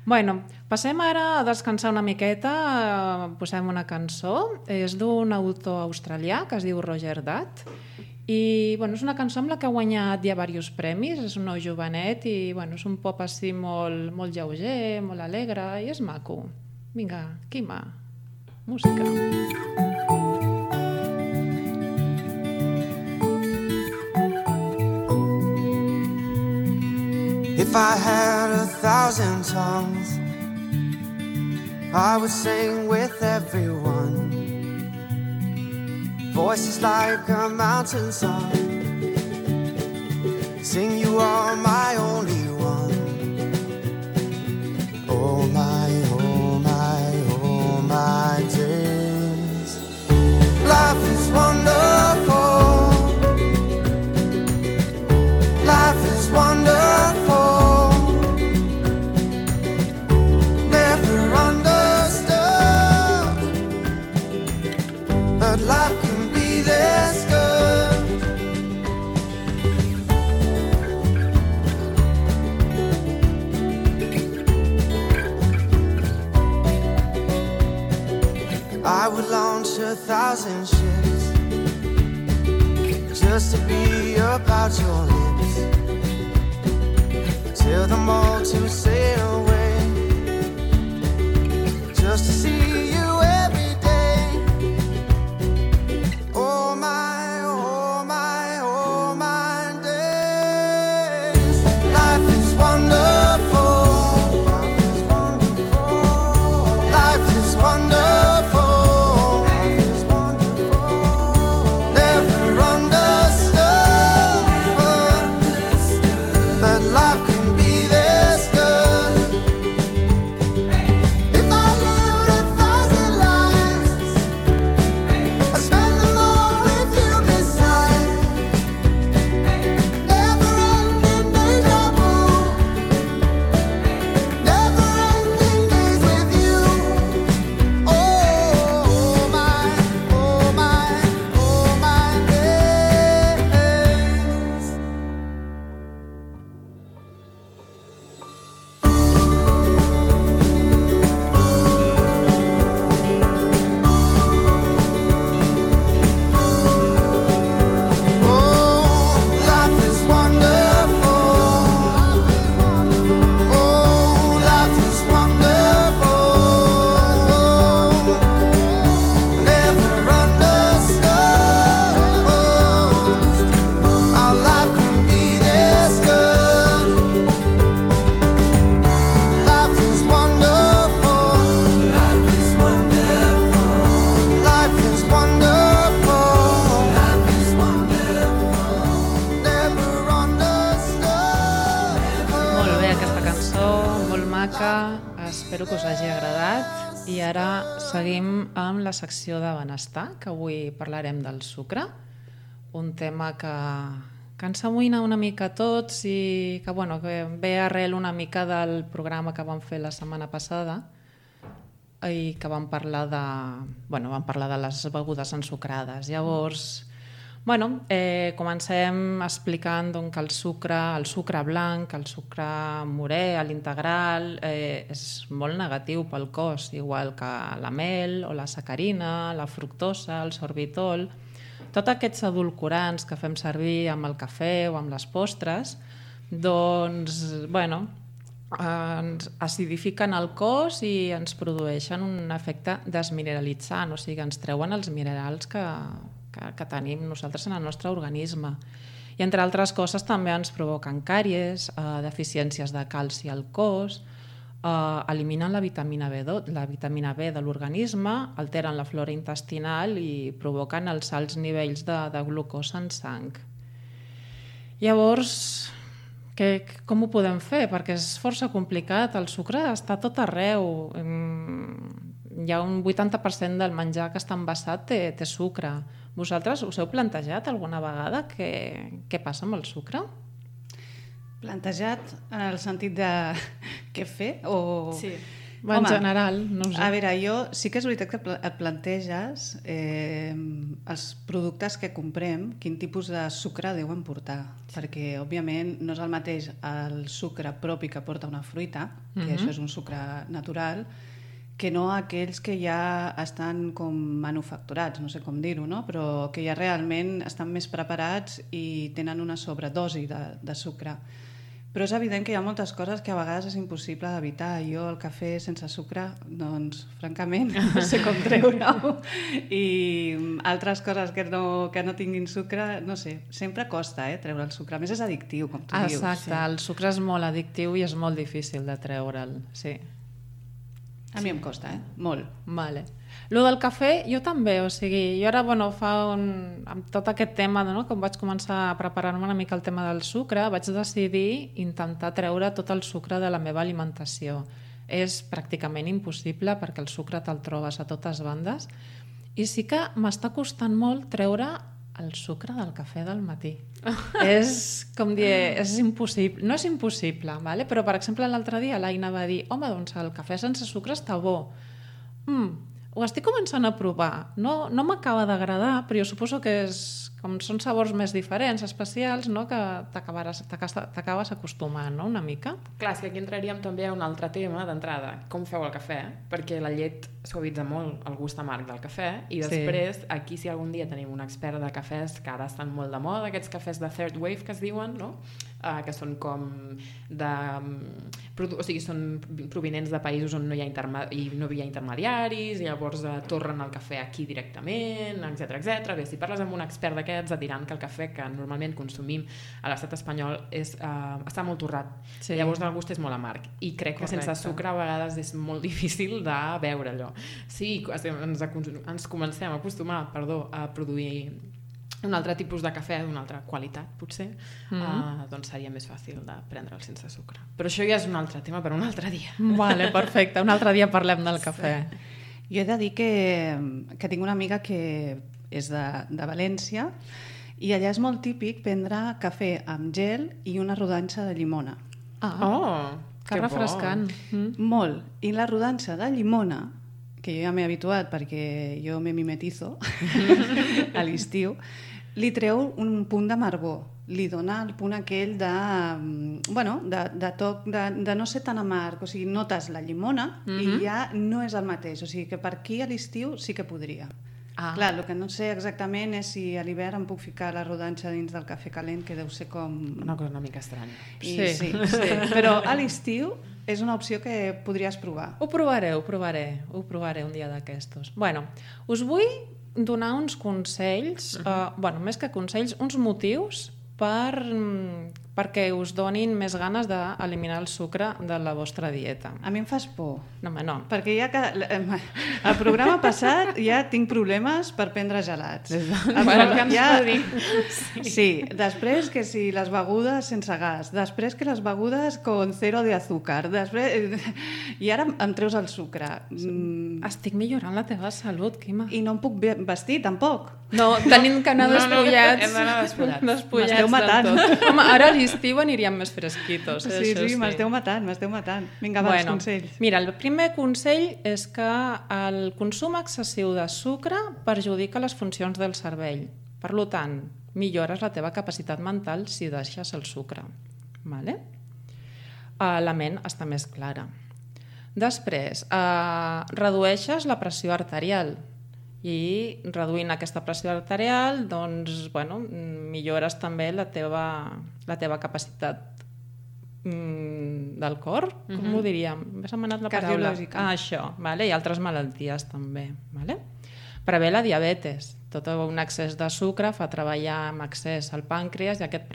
Bueno, passem ara a descansar una miqueta, posem una cançó, és d'un autor australià que es diu Roger Dutt i bueno, és una cançó amb la que ha guanyat ja diversos premis, és un nou jovenet i bueno, és un pop així molt lleuger, molt alegre i és maco. Vinga, Quima, música. If I had 1,000 tongues, I would sing with everyone. Voices like a mountain song. Sing, you are my only one. Oh my, oh my, oh my days. Life is wonderful. Life is wonderful. Never understood, but life can be this good. I would launch 1,000 ships just to be about your lips, tell them all to sail away, just to see you every day. Oh my, oh my, oh my days. Life is wonderful. Life is wonderful. Life is wonderful. Never understood, but life can be this good. If I lived 1,000 lives, I'd spend them all with you beside. Never-ending deja vu, never-ending days with you. Oh my, oh my, oh my days. Oh, life is wonderful. Oh, life is wonderful. Never understood how life can be this good. Life is wonderful. Life is wonderful. Life is wonderful. Life is wonderful. Never understood. Molt bé, aquesta cançó, molt maca, espero que us hagi agradat. I ara seguim amb la secció de benestar, que avui parlarem del sucre, un tema que ens amoïna una mica a tots i que, bueno, que ve arrel una mica del programa que vam fer la setmana passada i que vam parlar de les begudes ensucrades. Llavors, Bueno, comencem explicant que el sucre blanc, el sucre morè, l'integral, és molt negatiu pel cos, igual que la mel o la sacarina, la fructosa, el sorbitol. Tots aquests edulcorants que fem servir amb el cafè o amb les postres, doncs, bueno, ens acidifiquen el cos i ens produeixen un efecte desmineralitzant, o sigui, ens treuen els minerals que tenim nosaltres en el nostre organisme. I entre altres coses també ens provoquen càries, deficiències de calci al cos, eliminen la vitamina B de l'organisme, alteren la flora intestinal i provoquen els alts nivells de glucosa en sang. Llavors, com ho podem fer? Perquè és força complicat, el sucre està tot arreu. Hi ha un 80% del menjar que està envasat té sucre. Vosaltres us heu plantejat alguna vegada què passa amb el sucre? Plantejat en el sentit de què fer? Sí. En general, no ho sé. A veure, jo sí que és veritat que et planteges els productes que comprem, quin tipus de sucre deuen portar, perquè, òbviament, no és el mateix el sucre propi que porta una fruita, que això és un sucre natural, que no aquells que ja estan com manufacturats, no sé com dir-ho, no? Però que ja realment estan més preparats i tenen una sobredosi de sucre. Però és evident que hi ha moltes coses que a vegades és impossible d'evitar. Jo el cafè sense sucre, doncs, francament, no sé com treure-ho. I altres coses que no tinguin sucre, no sé, sempre costa treure el sucre. A més, és addictiu, com tu dius. Exacte, el sucre és molt addictiu i és molt difícil de treure'l, sí. A mi em costa, molt. Vale. Lo del cafè, jo també, o sigui, jo ara, amb tot aquest tema, com vaig començar a preparar-me una mica el tema del sucre, vaig decidir intentar treure tot el sucre de la meva alimentació. És pràcticament impossible perquè el sucre te'l trobes a totes bandes i sí que m'està costant molt treure el sucre del cafè del matí. És com dir, és impossible. No és impossible, vale? Però per exemple l'altre dia l'Aina va dir home, doncs el cafè sense sucre està bo. Ho estic començant a provar. No m'acaba d'agradar, però jo suposo que com són sabors més diferents, especials, no? Que t'acabes acostumant, no? Una mica. Clar, és que aquí entraríem també a un altre tema d'entrada. Com feu el cafè? Perquè la llet suavitza molt el gust amarg del cafè i després, aquí si algun dia tenim un expert de cafès, que ara estan molt de moda, aquests cafès de third wave que es diuen, no? Que són com són provinents de països on no hi ha intermediaris i llavors torren el cafè aquí directament, etc. Bé, si parles amb un expert d'aquests et diran que el cafè que normalment consumim a l'estat espanyol està molt torrat, llavors el gust és molt amarg i crec que sense sucre a vegades és molt difícil de veure allò. Si ens comencem a acostumar a produir un altre tipus de cafè d'una altra qualitat, potser, doncs seria més fàcil de prendre'l sense sucre. Però això ja és un altre tema per un altre dia. Vale, perfecte. Un altre dia parlem del cafè. Jo he de dir que tinc una amiga que és de València i allà és molt típic prendre cafè amb gel i una rodanxa de llimona. Que refrescant. Molt. I la rodanxa de llimona, que jo ja m'he habituat perquè jo me mimetizo a l'estiu, li treu un punt d'amargor, li dona el punt aquell de toc, de no ser tan amarg, o sigui, notes la llimona i ja no és el mateix, o sigui que per aquí a l'estiu sí que podria. Clar, el que no sé exactament és si a l'hivern em puc ficar la rodanxa dins del cafè calent, que deu ser com... Una cosa una mica estranya. Sí. Però a l'estiu és una opció que podries provar. Ho provaré un dia d'aquestos. Bueno, us vull donar uns consells, més que consells, uns motius perquè us donin més ganes d'eliminar el sucre de la vostra dieta. A mi em fas por. No, no. Perquè ja que el programa passat ja tinc problemes per prendre gelats. Sí, després que si les begudes sense gas, després que les begudes con cero de azúcar, i ara em treus el sucre. Estic millorant la teva salut, Quima. I no em puc vestir, tampoc. No, tenim que anar despullats. Hem d'anar despullats. M'esteu matant. Home, ara a l'estiu aniríem més fresquitos. Sí, m'esteu matant. Vinga, els consells. Mira, el primer consell és que el consum excessiu de sucre perjudica les funcions del cervell. Per tant, millores la teva capacitat mental si deixes el sucre. Vale? La ment està més clara. Després, redueixes la pressió arterial i reduint aquesta pressió arterial doncs, millores també la teva capacitat del cor, com ho diríem? M'ha anat la paraula. Cardiològica. Això, vale? I altres malalties també. Vale? Prevé la diabetes. Tot un excés de sucre fa treballar amb excés el pàncreas i aquest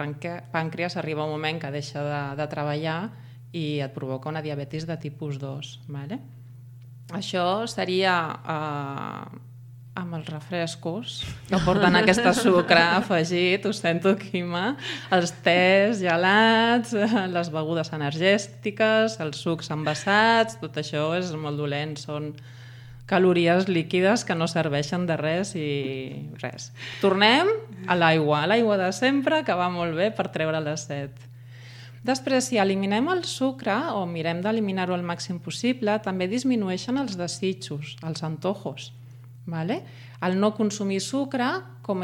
pàncreas arriba un moment que deixa de treballar i et provoca una diabetis de tipus 2. Vale? Això seria amb els refrescos que porten aquest sucre afegit, ho sento, Quima, els tés gelats, les begudes energètiques, els sucs envasats, tot això és molt dolent, són calories líquides que no serveixen de res i res. Tornem a l'aigua de sempre, que va molt bé per treure la set. Després, si eliminem el sucre o mirem d'eliminar-ho al màxim possible, també disminueixen els desitjos, els antojos. Vale? El no consumir sucre, com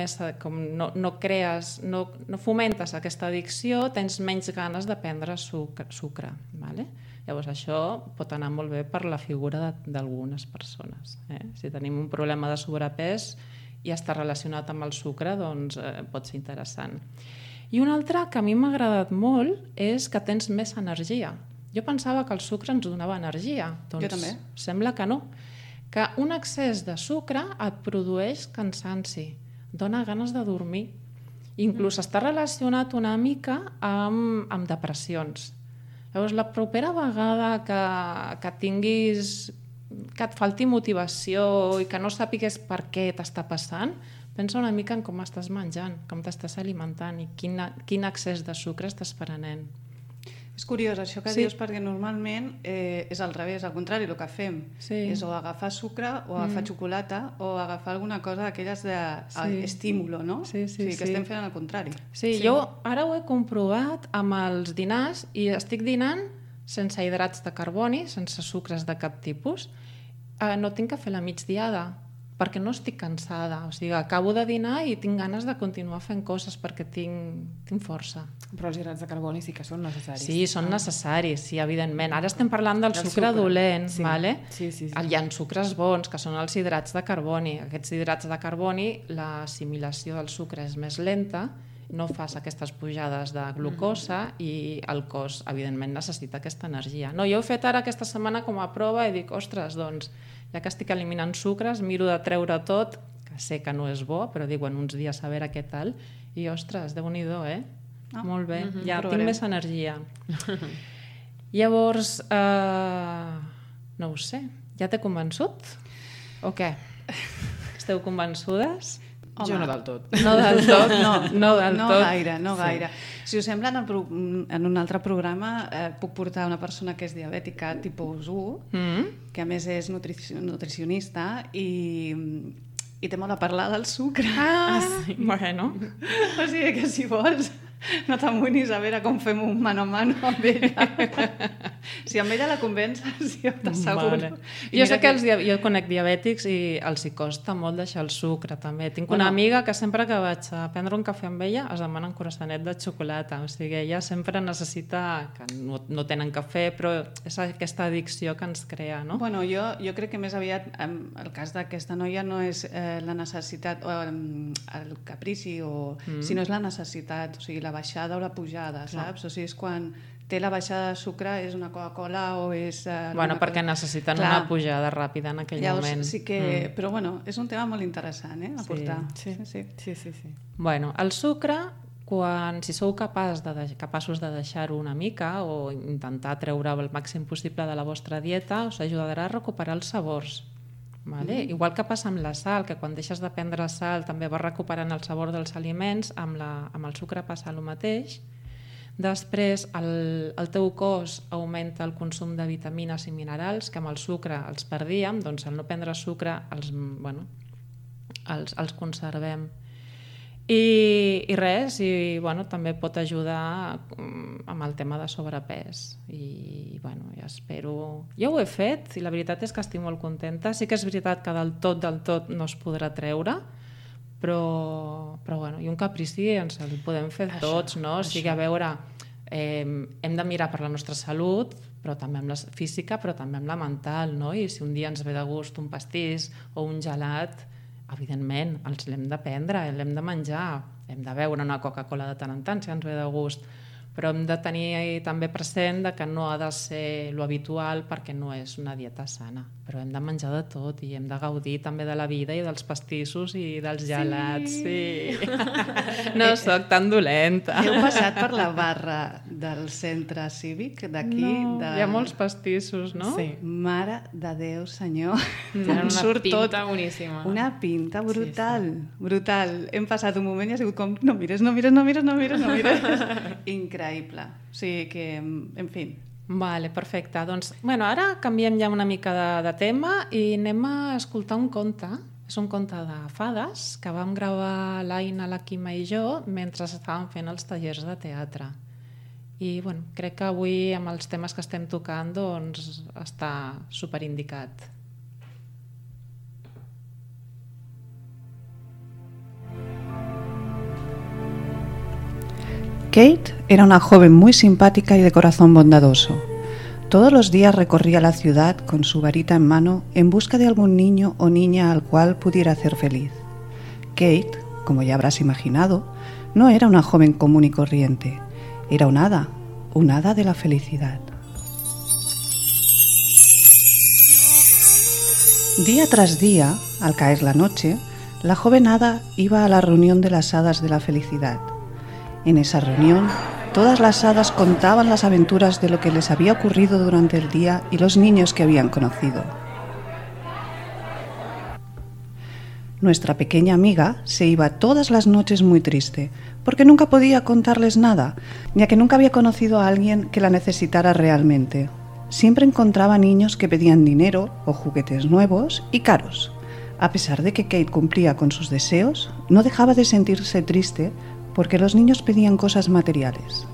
no fomentes aquesta addicció, tens menys ganes de prendre sucre. Vale? Llavors això pot anar molt bé per la figura d'algunes persones. Si tenim un problema de sobrepès i està relacionat amb el sucre, doncs pot ser interessant. I un altre que a mi m'ha agradat molt és que tens més energia. Jo pensava que el sucre ens donava energia. Doncs jo també. Sembla que no. Que un excés de sucre et produeix cansanci, dona ganes de dormir. Inclús està relacionat una mica amb depressions. Llavors, la propera vegada que tinguis, que et falti motivació i que no sàpigues per què t'està passant, pensa una mica en com estàs menjant, com t'estàs alimentant i quin excés de sucre estàs prenent. És curiós això que dius, perquè normalment és al revés, al contrari, el que fem és o agafar sucre o agafar xocolata o agafar alguna cosa d'aquelles d'estímulo, no? Sí, que estem fent al contrari. Sí, jo ara ho he comprovat amb els dinars i estic dinant sense hidrats de carboni, sense sucres de cap tipus. No tinc que fer la migdiada, perquè no estic cansada. O sigui, acabo de dinar i tinc ganes de continuar fent coses perquè tinc força. Però els hidrats de carboni sí que són necessaris. Sí, són necessaris, sí, evidentment. Ara estem parlant del sucre dolent, vale? Sí. Hi ha sucres bons, que són els hidrats de carboni. Aquests hidrats de carboni, l'assimilació del sucre és més lenta, no fas aquestes pujades de glucosa i el cos, evidentment, necessita aquesta energia. No, jo he fet ara aquesta setmana com a prova i dic, ostres, doncs, ja que estic eliminant sucres, miro de treure tot, que sé que no és bo, però dic, uns dies a veure què tal, i ostres, Déu-n'hi-do, Molt bé, ja tinc més energia. Llavors, no ho sé, ja t'he convençut? O què? Esteu convençudes? Home, jo no del tot. No del tot? No del tot. No gaire. Si us sembla, en un altre programa puc portar una persona que és diabètica tipus 1, que a més és nutricionista i té molt a parlar del sucre. Sí. Bueno. O sigui que si vols no t'amoïnis a veure com fem un mano a mano amb ella. Si amb ella la convences, jo t'asseguro. Vale. Jo sé que jo conec diabètics i els hi costa molt deixar el sucre, també. Tinc una amiga que sempre que vaig a prendre un cafè amb ella es demana un croissanet de xocolata. O sigui, ella sempre necessita, que no tenen cafè, però és aquesta addicció que ens crea, no? Bueno, jo crec que més aviat el cas d'aquesta noia no és la necessitat o el caprici, sinó és la necessitat, o sigui, la baixada o la pujada, saps? O sigui, és quan té la baixada de sucre, és una Coca-Cola o és... perquè necessiten una pujada ràpida en aquell moment. Sí que... Però és un tema molt interessant, a portar. Sí. Bueno, el sucre, si sou capaços de deixar-ho una mica o intentar treure el màxim possible de la vostra dieta, us ajudarà a recuperar els sabors. Vale? Igual que passa amb la sal, que quan deixes de prendre sal també vas recuperant el sabor dels aliments, amb el sucre passa el mateix. Després el teu cos augmenta el consum de vitamines i minerals, que amb el sucre els perdíem, doncs al no prendre sucre els conservem. I res, també pot ajudar amb el tema de sobrepès. I ja espero... Jo ho he fet i la veritat és que estic molt contenta. Sí que és veritat que del tot no es podrà treure, però bueno, i un caprici ens el podem fer tots, no? O sigui, a veure, hem de mirar per la nostra salut, però també amb la física, però també amb la mental, no? I si un dia ens ve de gust un pastís o un gelat, evidentment, els l'hem de prendre, l'hem de menjar, hem de beure una Coca-Cola de tant en tant si ens ve de gust, però hem de tenir també present que no ha de ser lo habitual perquè no és una dieta sana, però hem de menjar de tot i hem de gaudir també de la vida i dels pastissos i dels gelats. Sí. No sóc tan dolenta. Heu passat per la barra del centre cívic d'aquí? No, hi ha molts pastissos, no? Sí. Mare de Déu, senyor. Tenen una Surt pinta tot. boníssima. Una pinta brutal, brutal. Hem passat un moment i ha sigut com, no mires. Increïble. O sigui que, en fi. Vale, perfecte. Doncs, bueno, ara canviem ja una mica de tema i anem a escoltar un conte. És un conte de fades que vam gravar l'Aina, la Quima i jo mentre estàvem fent els tallers de teatre. I bueno, crec que avui amb els temes que estem tocant doncs està superindicat. Kate era una joven muy simpática y de corazón bondadoso. Todos los días recorría la ciudad con su varita en mano en busca de algún niño o niña al cual pudiera hacer feliz. Kate, como ya habrás imaginado, no era una joven común y corriente. Era un hada de la felicidad. Día tras día, al caer la noche, la joven hada iba a la reunión de las hadas de la felicidad. En esa reunión, todas las hadas contaban las aventuras de lo que les había ocurrido durante el día y los niños que habían conocido. Nuestra pequeña amiga se iba todas las noches muy triste, porque nunca podía contarles nada, ya que nunca había conocido a alguien que la necesitara realmente. Siempre encontraba niños que pedían dinero o juguetes nuevos y caros. A pesar de que Kate cumplía con sus deseos, no dejaba de sentirse triste porque los niños pedían cosas materiales.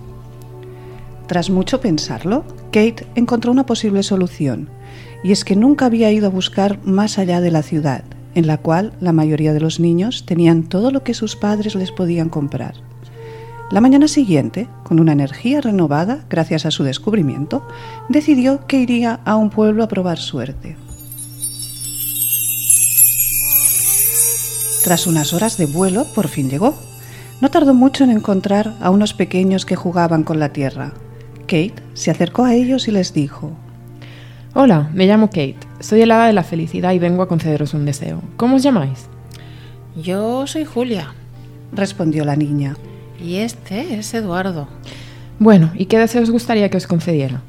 Tras mucho pensarlo, Kate encontró una posible solución, y es que nunca había ido a buscar más allá de la ciudad, en la cual la mayoría de los niños tenían todo lo que sus padres les podían comprar. La mañana siguiente, con una energía renovada gracias a su descubrimiento, decidió que iría a un pueblo a probar suerte. Tras unas horas de vuelo, por fin llegó. No tardó mucho en encontrar a unos pequeños que jugaban con la tierra. Kate se acercó a ellos y les dijo: Hola, me llamo Kate. Soy el hada de la felicidad y vengo a concederos un deseo. ¿Cómo os llamáis? Yo soy Julia. Respondió la niña. Y este es Eduardo. Bueno, ¿y qué deseo os gustaría que os concediera?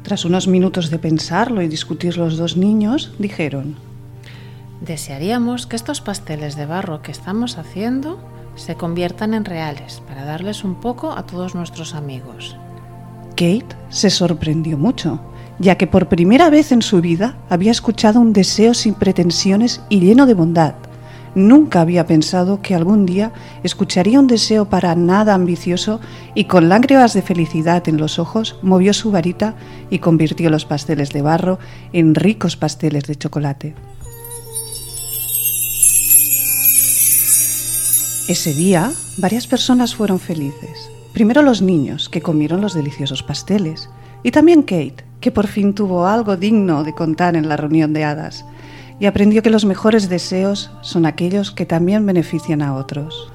Tras unos minutos de pensarlo y discutir los dos niños, dijeron: Desearíamos que estos pasteles de barro que estamos haciendo se conviertan en reales para darles un poco a todos nuestros amigos. Kate se sorprendió mucho, ya que por primera vez en su vida había escuchado un deseo sin pretensiones y lleno de bondad. Nunca había pensado que algún día escucharía un deseo para nada ambicioso y con lágrimas de felicidad en los ojos movió su varita y convirtió los pasteles de barro en ricos pasteles de chocolate. Ese día, varias personas fueron felices. Primero los niños, que comieron los deliciosos pasteles, y también Kate, que por fin tuvo algo digno de contar en la reunión de hadas, y aprendió que los mejores deseos son aquellos que también benefician a otros.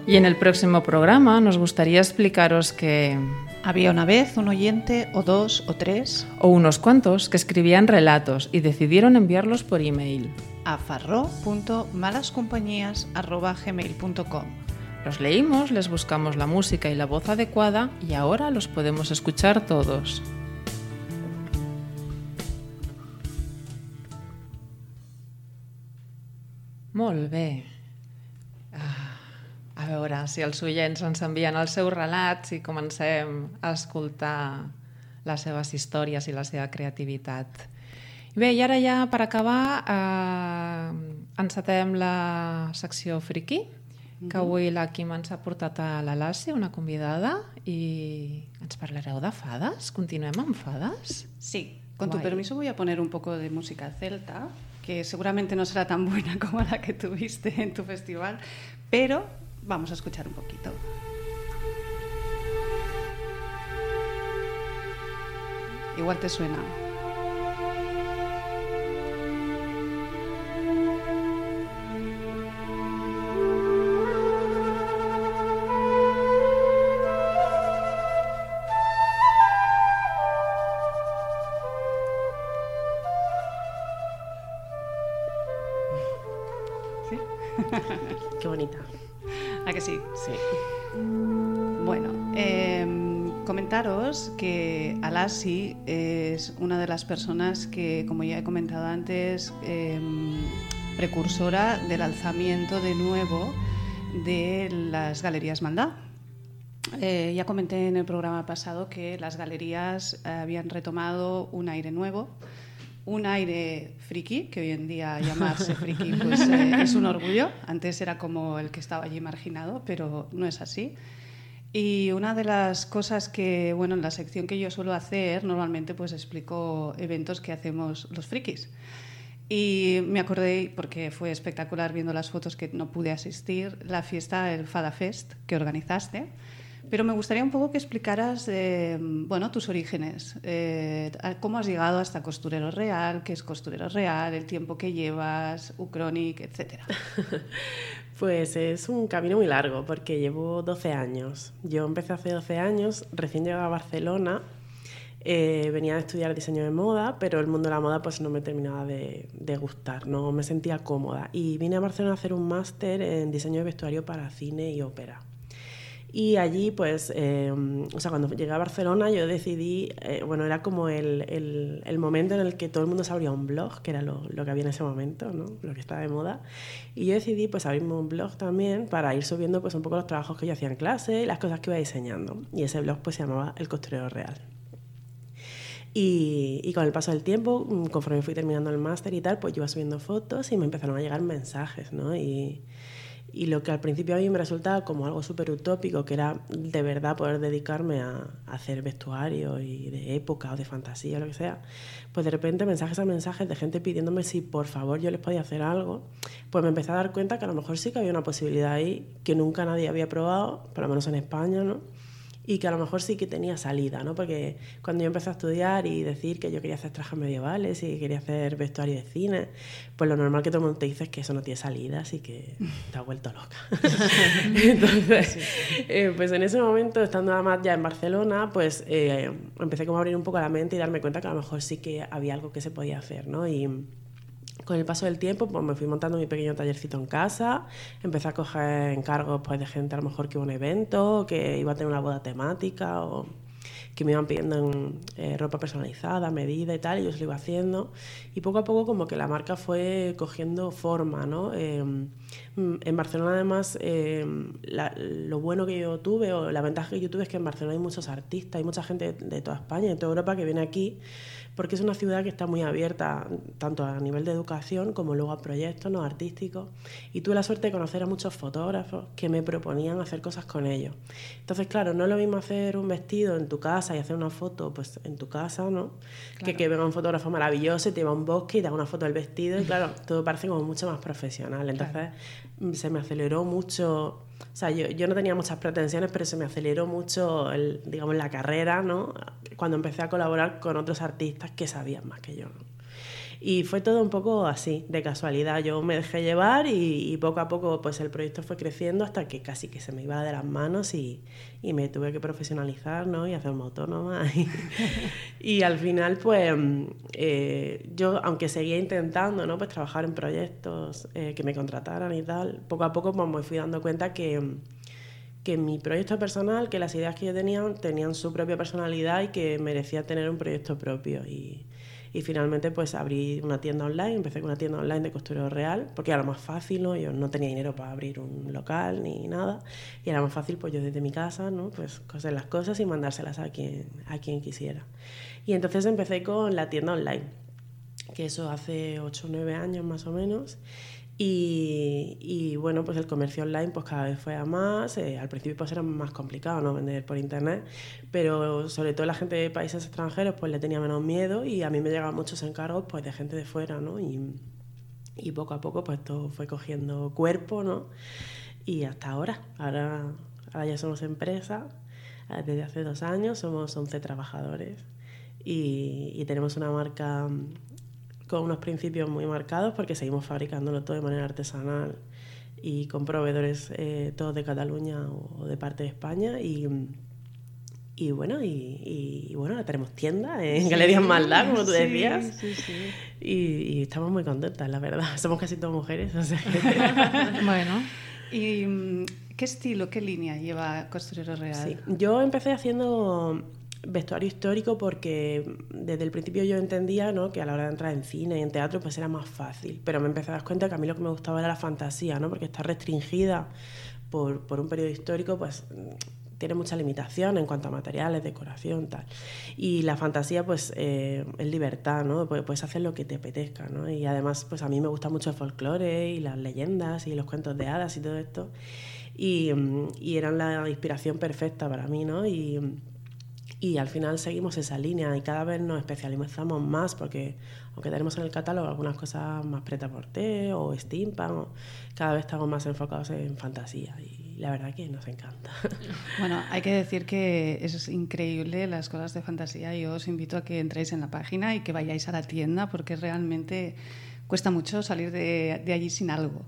Y en el próximo programa nos gustaría explicaros que... Había una vez un oyente, o dos, o tres, o unos cuantos, que escribían relatos y decidieron enviarlos por email. a farro.malascompañías@gmail.com. Los leímos, les buscamos la música y la voz adecuada y ahora los podemos escuchar todos. Molt bé. A veure si els oients ens envien els seus relats i comencem a escoltar les seves històries i la seva creativitat. Bé, i ara ja per acabar encetem la secció friki que avui la Quim ens ha portat a la Lassi, una convidada, i ens parlareu de fades. Continuem amb fades? Sí, con tu Guay. permiso voy a poner un poco de música celta, que seguramente no será tan buena como la que tuviste en tu festival, pero vamos a escuchar un poquito. Igual te suena. ¿Sí? Qué bonita. ¿A que sí? Sí. Bueno, comentaros que Alassi es una de las personas que, como ya he comentado antes, precursora del alzamiento de nuevo de las galerías Maldá. Ya comenté en el programa pasado que las galerías habían retomado un aire nuevo, un aire friki, que hoy en día llamarse friki pues, es un orgullo. Antes era como el que estaba allí marginado, pero no es así. Y una de las cosas que, bueno, en la sección que yo suelo hacer, normalmente pues explico eventos que hacemos los frikis. Y me acordé, porque fue espectacular viendo las fotos que no pude asistir, la fiesta, el Fada Fest que organizaste. Pero me gustaría un poco que explicaras bueno, tus orígenes, cómo has llegado hasta Costurero Real, qué es Costurero Real, el tiempo que llevas, Ucronic, etcétera. Pues es un camino muy largo porque llevo 12 años. Yo empecé hace 12 años, recién llegué a Barcelona, venía a estudiar diseño de moda, pero el mundo de la moda pues no me terminaba de gustar, no me sentía cómoda. Y vine a Barcelona a hacer un máster en diseño de vestuario para cine y ópera. Y allí, pues, o sea, cuando llegué a Barcelona yo decidí, bueno, era como el momento en el que todo el mundo se abría un blog, que era lo que había en ese momento, ¿no? Lo que estaba de moda. Y yo decidí, pues, abrirme un blog también para ir subiendo, pues, un poco los trabajos que yo hacía en clase y las cosas que iba diseñando. Y ese blog, pues, se llamaba El Costurero Real. Y con el paso del tiempo, conforme fui terminando el máster y tal, pues yo iba subiendo fotos y me empezaron a llegar mensajes, ¿no? Y lo que al principio a mí me resultaba como algo súper utópico, que era de verdad poder dedicarme a hacer vestuario y de época o de fantasía o lo que sea, pues de repente mensajes a mensajes de gente pidiéndome si por favor yo les podía hacer algo, pues me empecé a dar cuenta que a lo mejor sí que había una posibilidad ahí que nunca nadie había probado, por lo menos en España, ¿no? Y que a lo mejor sí que tenía salida, ¿no? Porque cuando yo empecé a estudiar y decir que yo quería hacer trajes medievales y quería hacer vestuario de cine, pues lo normal que todo el mundo te dice es que eso no tiene salida, así que te has vuelto loca. Entonces, pues en ese momento, estando nada más ya en Barcelona, pues empecé como a abrir un poco la mente y darme cuenta que a lo mejor sí que había algo que se podía hacer, ¿no? Y con el paso del tiempo, pues me fui montando mi pequeño tallercito en casa, empecé a coger encargos pues, de gente a lo mejor que iba a un evento, que iba a tener una boda temática o que me iban pidiendo ropa personalizada, medida y tal, y yo se lo iba haciendo. Y poco a poco como que la marca fue cogiendo forma, ¿no? En Barcelona además lo bueno que yo tuve o la ventaja que yo tuve es que en Barcelona hay muchos artistas, hay mucha gente de toda España y de toda Europa que viene aquí porque es una ciudad que está muy abierta tanto a nivel de educación como luego a proyectos, ¿no? Artísticos, y tuve la suerte de conocer a muchos fotógrafos que me proponían hacer cosas con ellos. Entonces, claro, no es lo mismo hacer un vestido en tu casa y hacer una foto pues en tu casa, ¿no? Claro. Que venga un fotógrafo maravilloso y te va a un bosque y te haga una foto del vestido y claro, todo parece como mucho más profesional. Entonces se me aceleró mucho. O sea, yo no tenía muchas pretensiones, pero se me aceleró mucho, digamos, la carrera, ¿no? Cuando empecé a colaborar con otros artistas que sabían más que yo, ¿no? Y fue todo un poco así, de casualidad. Yo me dejé llevar y poco a poco pues el proyecto fue creciendo hasta que casi que se me iba de las manos y me tuve que profesionalizar, ¿no? Y hacerme autónoma. Y al final, pues, yo, aunque seguía intentando, ¿no? Pues trabajar en proyectos que me contrataran y tal, poco a poco pues, me fui dando cuenta que mi proyecto personal, que las ideas que yo tenía tenían su propia personalidad y que merecía tener un proyecto propio. Y finalmente pues abrí una tienda online, empecé con una tienda online de Costurero Real, porque era lo más fácil, ¿no? Yo no tenía dinero para abrir un local ni nada, y era más fácil pues yo desde mi casa, ¿no? Pues coser las cosas y mandárselas a quien quisiera. Y entonces empecé con la tienda online, que eso hace 8 o 9 años más o menos, Y bueno, pues el comercio online pues cada vez fue a más. Al principio pues era más complicado, ¿no?, vender por internet, pero sobre todo la gente de países extranjeros pues le tenía menos miedo, y a mí me llegaban muchos encargos pues de gente de fuera, ¿no? Y poco a poco pues todo fue cogiendo cuerpo, ¿no? Y hasta ahora ya somos empresa. Desde hace 2 años somos 11 trabajadores y tenemos una marca con unos principios muy marcados, porque seguimos fabricándolo todo de manera artesanal y con proveedores todos de Cataluña o de parte de España. Y bueno, ahora tenemos tienda en Galerías Maldá, como tú decías. Sí. Y estamos muy contentas, la verdad. Somos casi todas mujeres, o sea que... Bueno, ¿Y qué estilo, qué línea lleva Costurero Real? Sí, yo empecé haciendo vestuario histórico porque desde el principio yo entendía, ¿no?, que a la hora de entrar en cine y en teatro pues era más fácil, pero me empecé a dar cuenta que a mí lo que me gustaba era la fantasía, ¿no?, porque está restringida por un periodo histórico, pues tiene mucha limitación en cuanto a materiales, decoración, tal. Y la fantasía pues es libertad, ¿no? Puedes hacer lo que te apetezca, ¿no? Y además pues a mí me gusta mucho el folclore y las leyendas y los cuentos de hadas y todo esto, y eran la inspiración perfecta para mí, ¿no? Y al final seguimos esa línea y cada vez nos especializamos más, porque aunque tenemos en el catálogo algunas cosas más prêt-à-porter o steampunk, cada vez estamos más enfocados en fantasía, y la verdad que nos encanta. Bueno, hay que decir que es increíble las cosas de fantasía. Yo os invito a que entréis en la página y que vayáis a la tienda, porque realmente cuesta mucho salir de allí sin algo.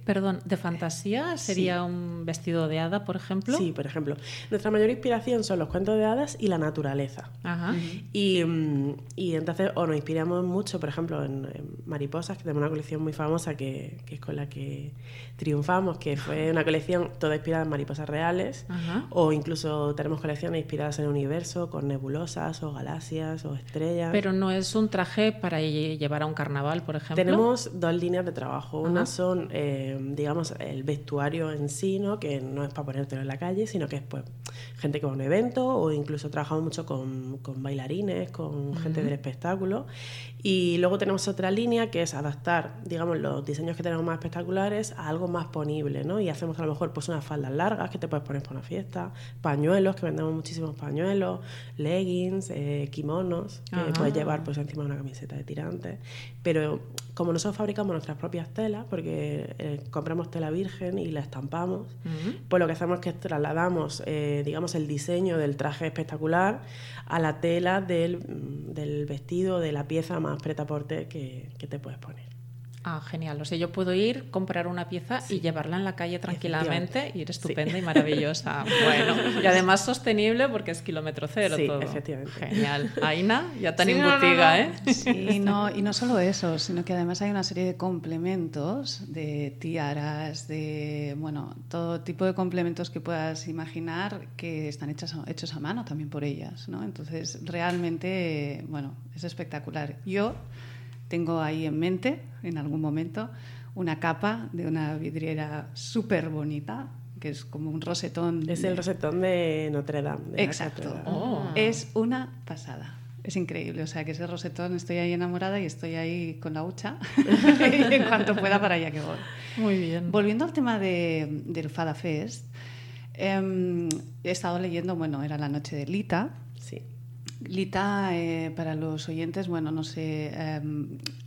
Perdón, ¿de fantasía sería Sí. un vestido de hada, por ejemplo? Sí, por ejemplo. Nuestra mayor inspiración son los cuentos de hadas y la naturaleza. Ajá. Y entonces nos inspiramos mucho, por ejemplo, en mariposas, que tenemos una colección muy famosa que es con la que triunfamos, que fue una colección toda inspirada en mariposas reales. Ajá. O incluso tenemos colecciones inspiradas en el universo, con nebulosas o galaxias o estrellas. Pero no es un traje para llevar a un carnaval, por ejemplo. Tenemos 2 líneas de trabajo. Ajá. Una son, digamos, el vestuario en sí, ¿no?, que no es para ponértelo en la calle, sino que es pues gente que va a un evento, o incluso trabajamos mucho con bailarines, con gente del espectáculo. Y luego tenemos otra línea que es adaptar, digamos, los diseños que tenemos más espectaculares a algo más ponible, ¿no? Y hacemos a lo mejor pues unas faldas largas que te puedes poner para una fiesta, pañuelos, que vendemos muchísimos pañuelos, leggings, kimonos, que puedes llevar pues encima de una camiseta de tirantes. Pero como nosotros fabricamos nuestras propias telas, porque compramos tela virgen y la estampamos, pues lo que hacemos es que trasladamos, digamos, el diseño del traje espectacular a la tela del vestido, de la pieza más prêt-à-porter que te puedes poner. Ah, genial. O sea, yo puedo ir, comprar una pieza y llevarla en la calle tranquilamente, y ir estupenda y maravillosa. Bueno, y además sostenible, porque es kilómetro cero Sí, todo. efectivamente. Genial. Aina, ya tan Sí, embutida, no. ¿eh? Sí, y no solo eso, sino que además hay una serie de complementos, de tiaras, de todo tipo de complementos que puedas imaginar, que están hechos a mano también por ellas, ¿no? Entonces, realmente, es espectacular. Yo tengo ahí en mente, en algún momento, una capa de una vidriera súper bonita, que es como un rosetón. Es el rosetón de Notre Dame. De Exacto. la catedral. Es una pasada. Es increíble. O sea, que ese rosetón, estoy ahí enamorada y estoy ahí con la hucha. Y en cuanto pueda, para allá que voy. Muy bien. Volviendo al tema del Fada Fest, he estado leyendo, era la noche de Lita. Sí. Lita, para los oyentes, no sé,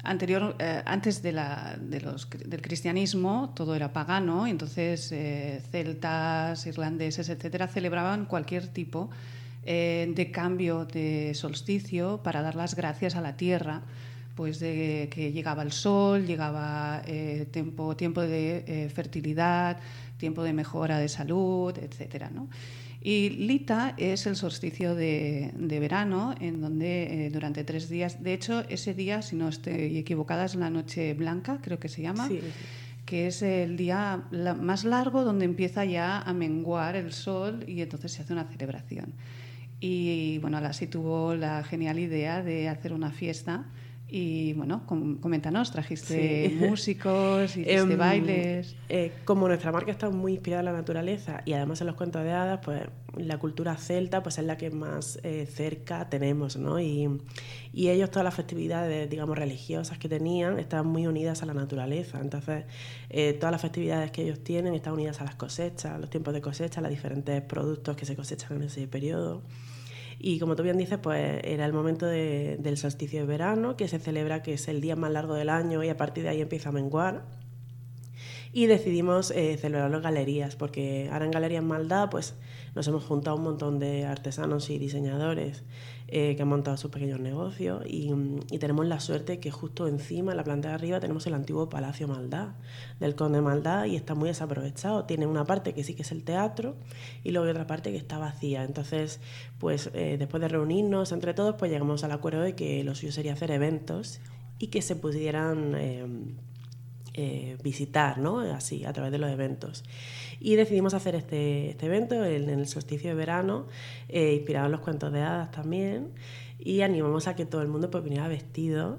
antes del cristianismo todo era pagano, y entonces celtas, irlandeses, etcétera, celebraban cualquier tipo de cambio de solsticio para dar las gracias a la tierra, pues de que llegaba el sol, llegaba tiempo de fertilidad, tiempo de mejora de salud, etcétera, ¿no? Y Lita es el solsticio de verano, en donde durante 3 días, de hecho ese día, si no estoy equivocada, es la noche blanca, creo que se llama, Sí. que es el día más largo, donde empieza ya a menguar el sol, y entonces se hace una celebración. Y Lassi tuvo la genial idea de hacer una fiesta Y bueno, coméntanos, trajiste músicos, hiciste bailes. Como nuestra marca está muy inspirada en la naturaleza y además en los cuentos de hadas, pues la cultura celta pues es la que más cerca tenemos, ¿no? Y ellos, todas las festividades, digamos, religiosas que tenían, estaban muy unidas a la naturaleza. Entonces, todas las festividades que ellos tienen están unidas a las cosechas, los tiempos de cosecha, los diferentes productos que se cosechan en ese periodo. Y como tú bien dices, pues era el momento del solsticio de verano, que se celebra, que es el día más largo del año y a partir de ahí empieza a menguar. Y decidimos celebrarlo en galerías, porque ahora en Galerías Maldá pues, nos hemos juntado un montón de artesanos y diseñadores que han montado sus pequeños negocios y tenemos la suerte que justo encima, en la planta de arriba, tenemos el antiguo Palacio Maldá, del Conde Maldá, y está muy desaprovechado. Tiene una parte que sí que es el teatro y luego hay otra parte que está vacía. Entonces, pues después de reunirnos entre todos, pues llegamos al acuerdo de que lo suyo sería hacer eventos y que se pudieran visitar, ¿no? Así, a través de los eventos. Y decidimos hacer este evento en el solsticio de verano, inspirado en los cuentos de hadas también, y animamos a que todo el mundo pues, viniera vestido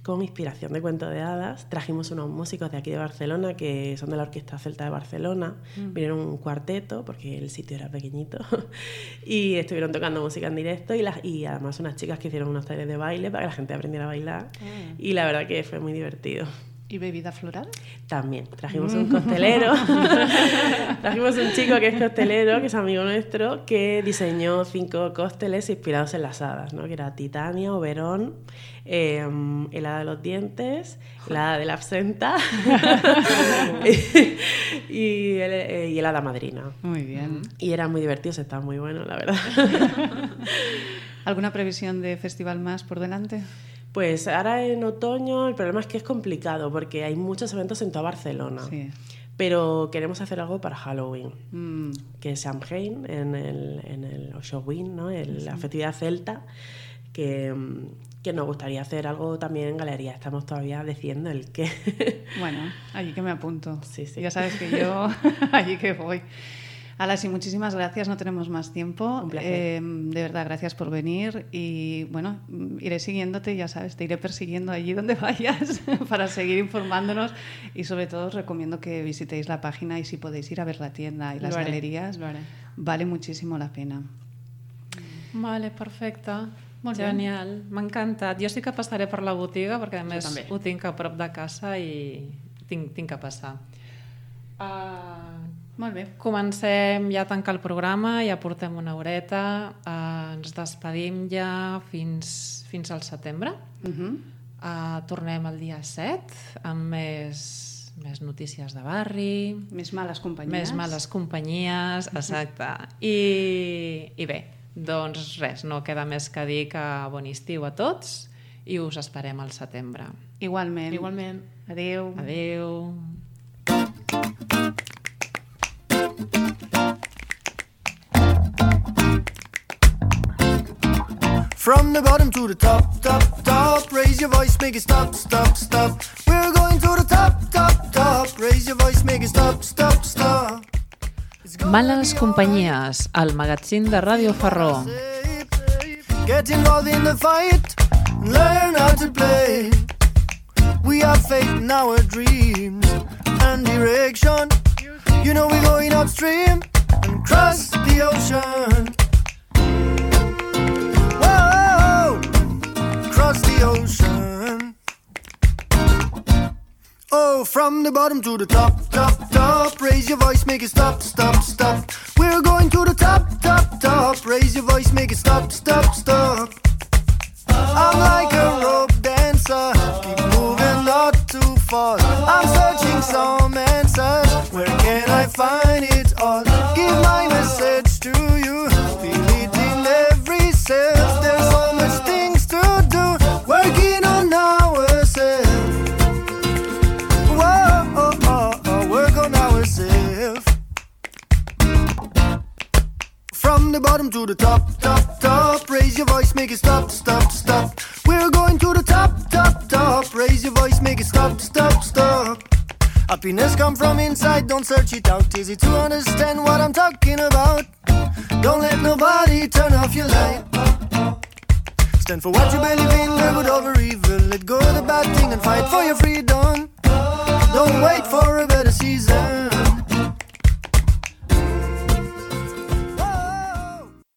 con inspiración de cuentos de hadas. Trajimos unos músicos de aquí de Barcelona que son de la Orquesta Celta de Barcelona. Vinieron un cuarteto porque el sitio era pequeñito y estuvieron tocando música en directo y además unas chicas que hicieron unos talleres de baile para que la gente aprendiera a bailar y la verdad que fue muy divertido. ¿Y bebida floral? También. Trajimos un costelero. Trajimos un chico que es costelero, que es amigo nuestro, que diseñó 5 cócteles inspirados en las hadas, ¿no? Que era Titania, Oberón, el hada de los dientes, el hada de la absenta y el hada madrina. Muy bien. Y eran muy divertidos, estaban muy buenos, la verdad. ¿Alguna previsión de festival más por delante? Pues ahora en otoño el problema es que es complicado porque hay muchos eventos en toda Barcelona. Sí. Pero queremos hacer algo para Halloween, que es Samhain, en el Halloween, ¿no? La festividad celta, que nos gustaría hacer algo también en galería. Estamos todavía decidiendo el qué. Bueno, allí que me apunto. Sí. Ya sabes que yo allí que voy. Alasi, muchísimas gracias, no tenemos más tiempo. Un placer. De verdad, gracias por venir y bueno, iré siguiéndote, ya sabes, te iré persiguiendo allí donde vayas para seguir informándonos y sobre todo os recomiendo que visitéis la página y si podéis ir a ver la tienda y las galerías, vale muchísimo la pena. Vale, perfecte. Molt bé. Genial, m'ha encantat. Jo sí que passaré per la botiga perquè a més ho tinc a prop de casa i tinc que passar. Molt bé. Comencem ja a tancar el programa, ja portem una horeta, ens despedim ja fins al setembre. Tornem el dia 7 amb més notícies de barri, Més males companyies. més males companyies, exacte. I bé, doncs res, no queda més que dir que bon estiu a tots i us esperem al setembre. Igualment. Igualment. Adéu. Adéu. From the bottom to the top, top, top. Raise your voice, make it stop, stop, stop. We're going to the top, top, top. Raise your voice, make it stop, stop, stop. Males companyies, el magazín de Ràdio Ferró. Get involved in the fight, learn how to play. We have faith in our dreams and direction. You know we're going upstream and cross the ocean. The ocean. Oh, from the bottom to the top, top, top. Raise your voice, make it stop, stop, stop. We're going to the top, top, top. Raise your voice, make it stop, stop, stop. I'm like a rope dancer, keep moving not too fast. I'm searching some answers. Where can I find it all? Give my message to you. Feel it in every cell. There's so much things to do. Working on ourselves. Whoa, work on ourselves. From the bottom to the top, top, top. Raise your voice, make it stop, stop, stop. We're going to the top, top, top. Raise your voice, make it stop, stop, stop. Happiness come from inside, don't search it out. Easy to understand what I'm talking about. Don't let nobody turn off your light. Stand for what you believe in, live good over evil. let go of the bad thing and fight for your freedom. Don't wait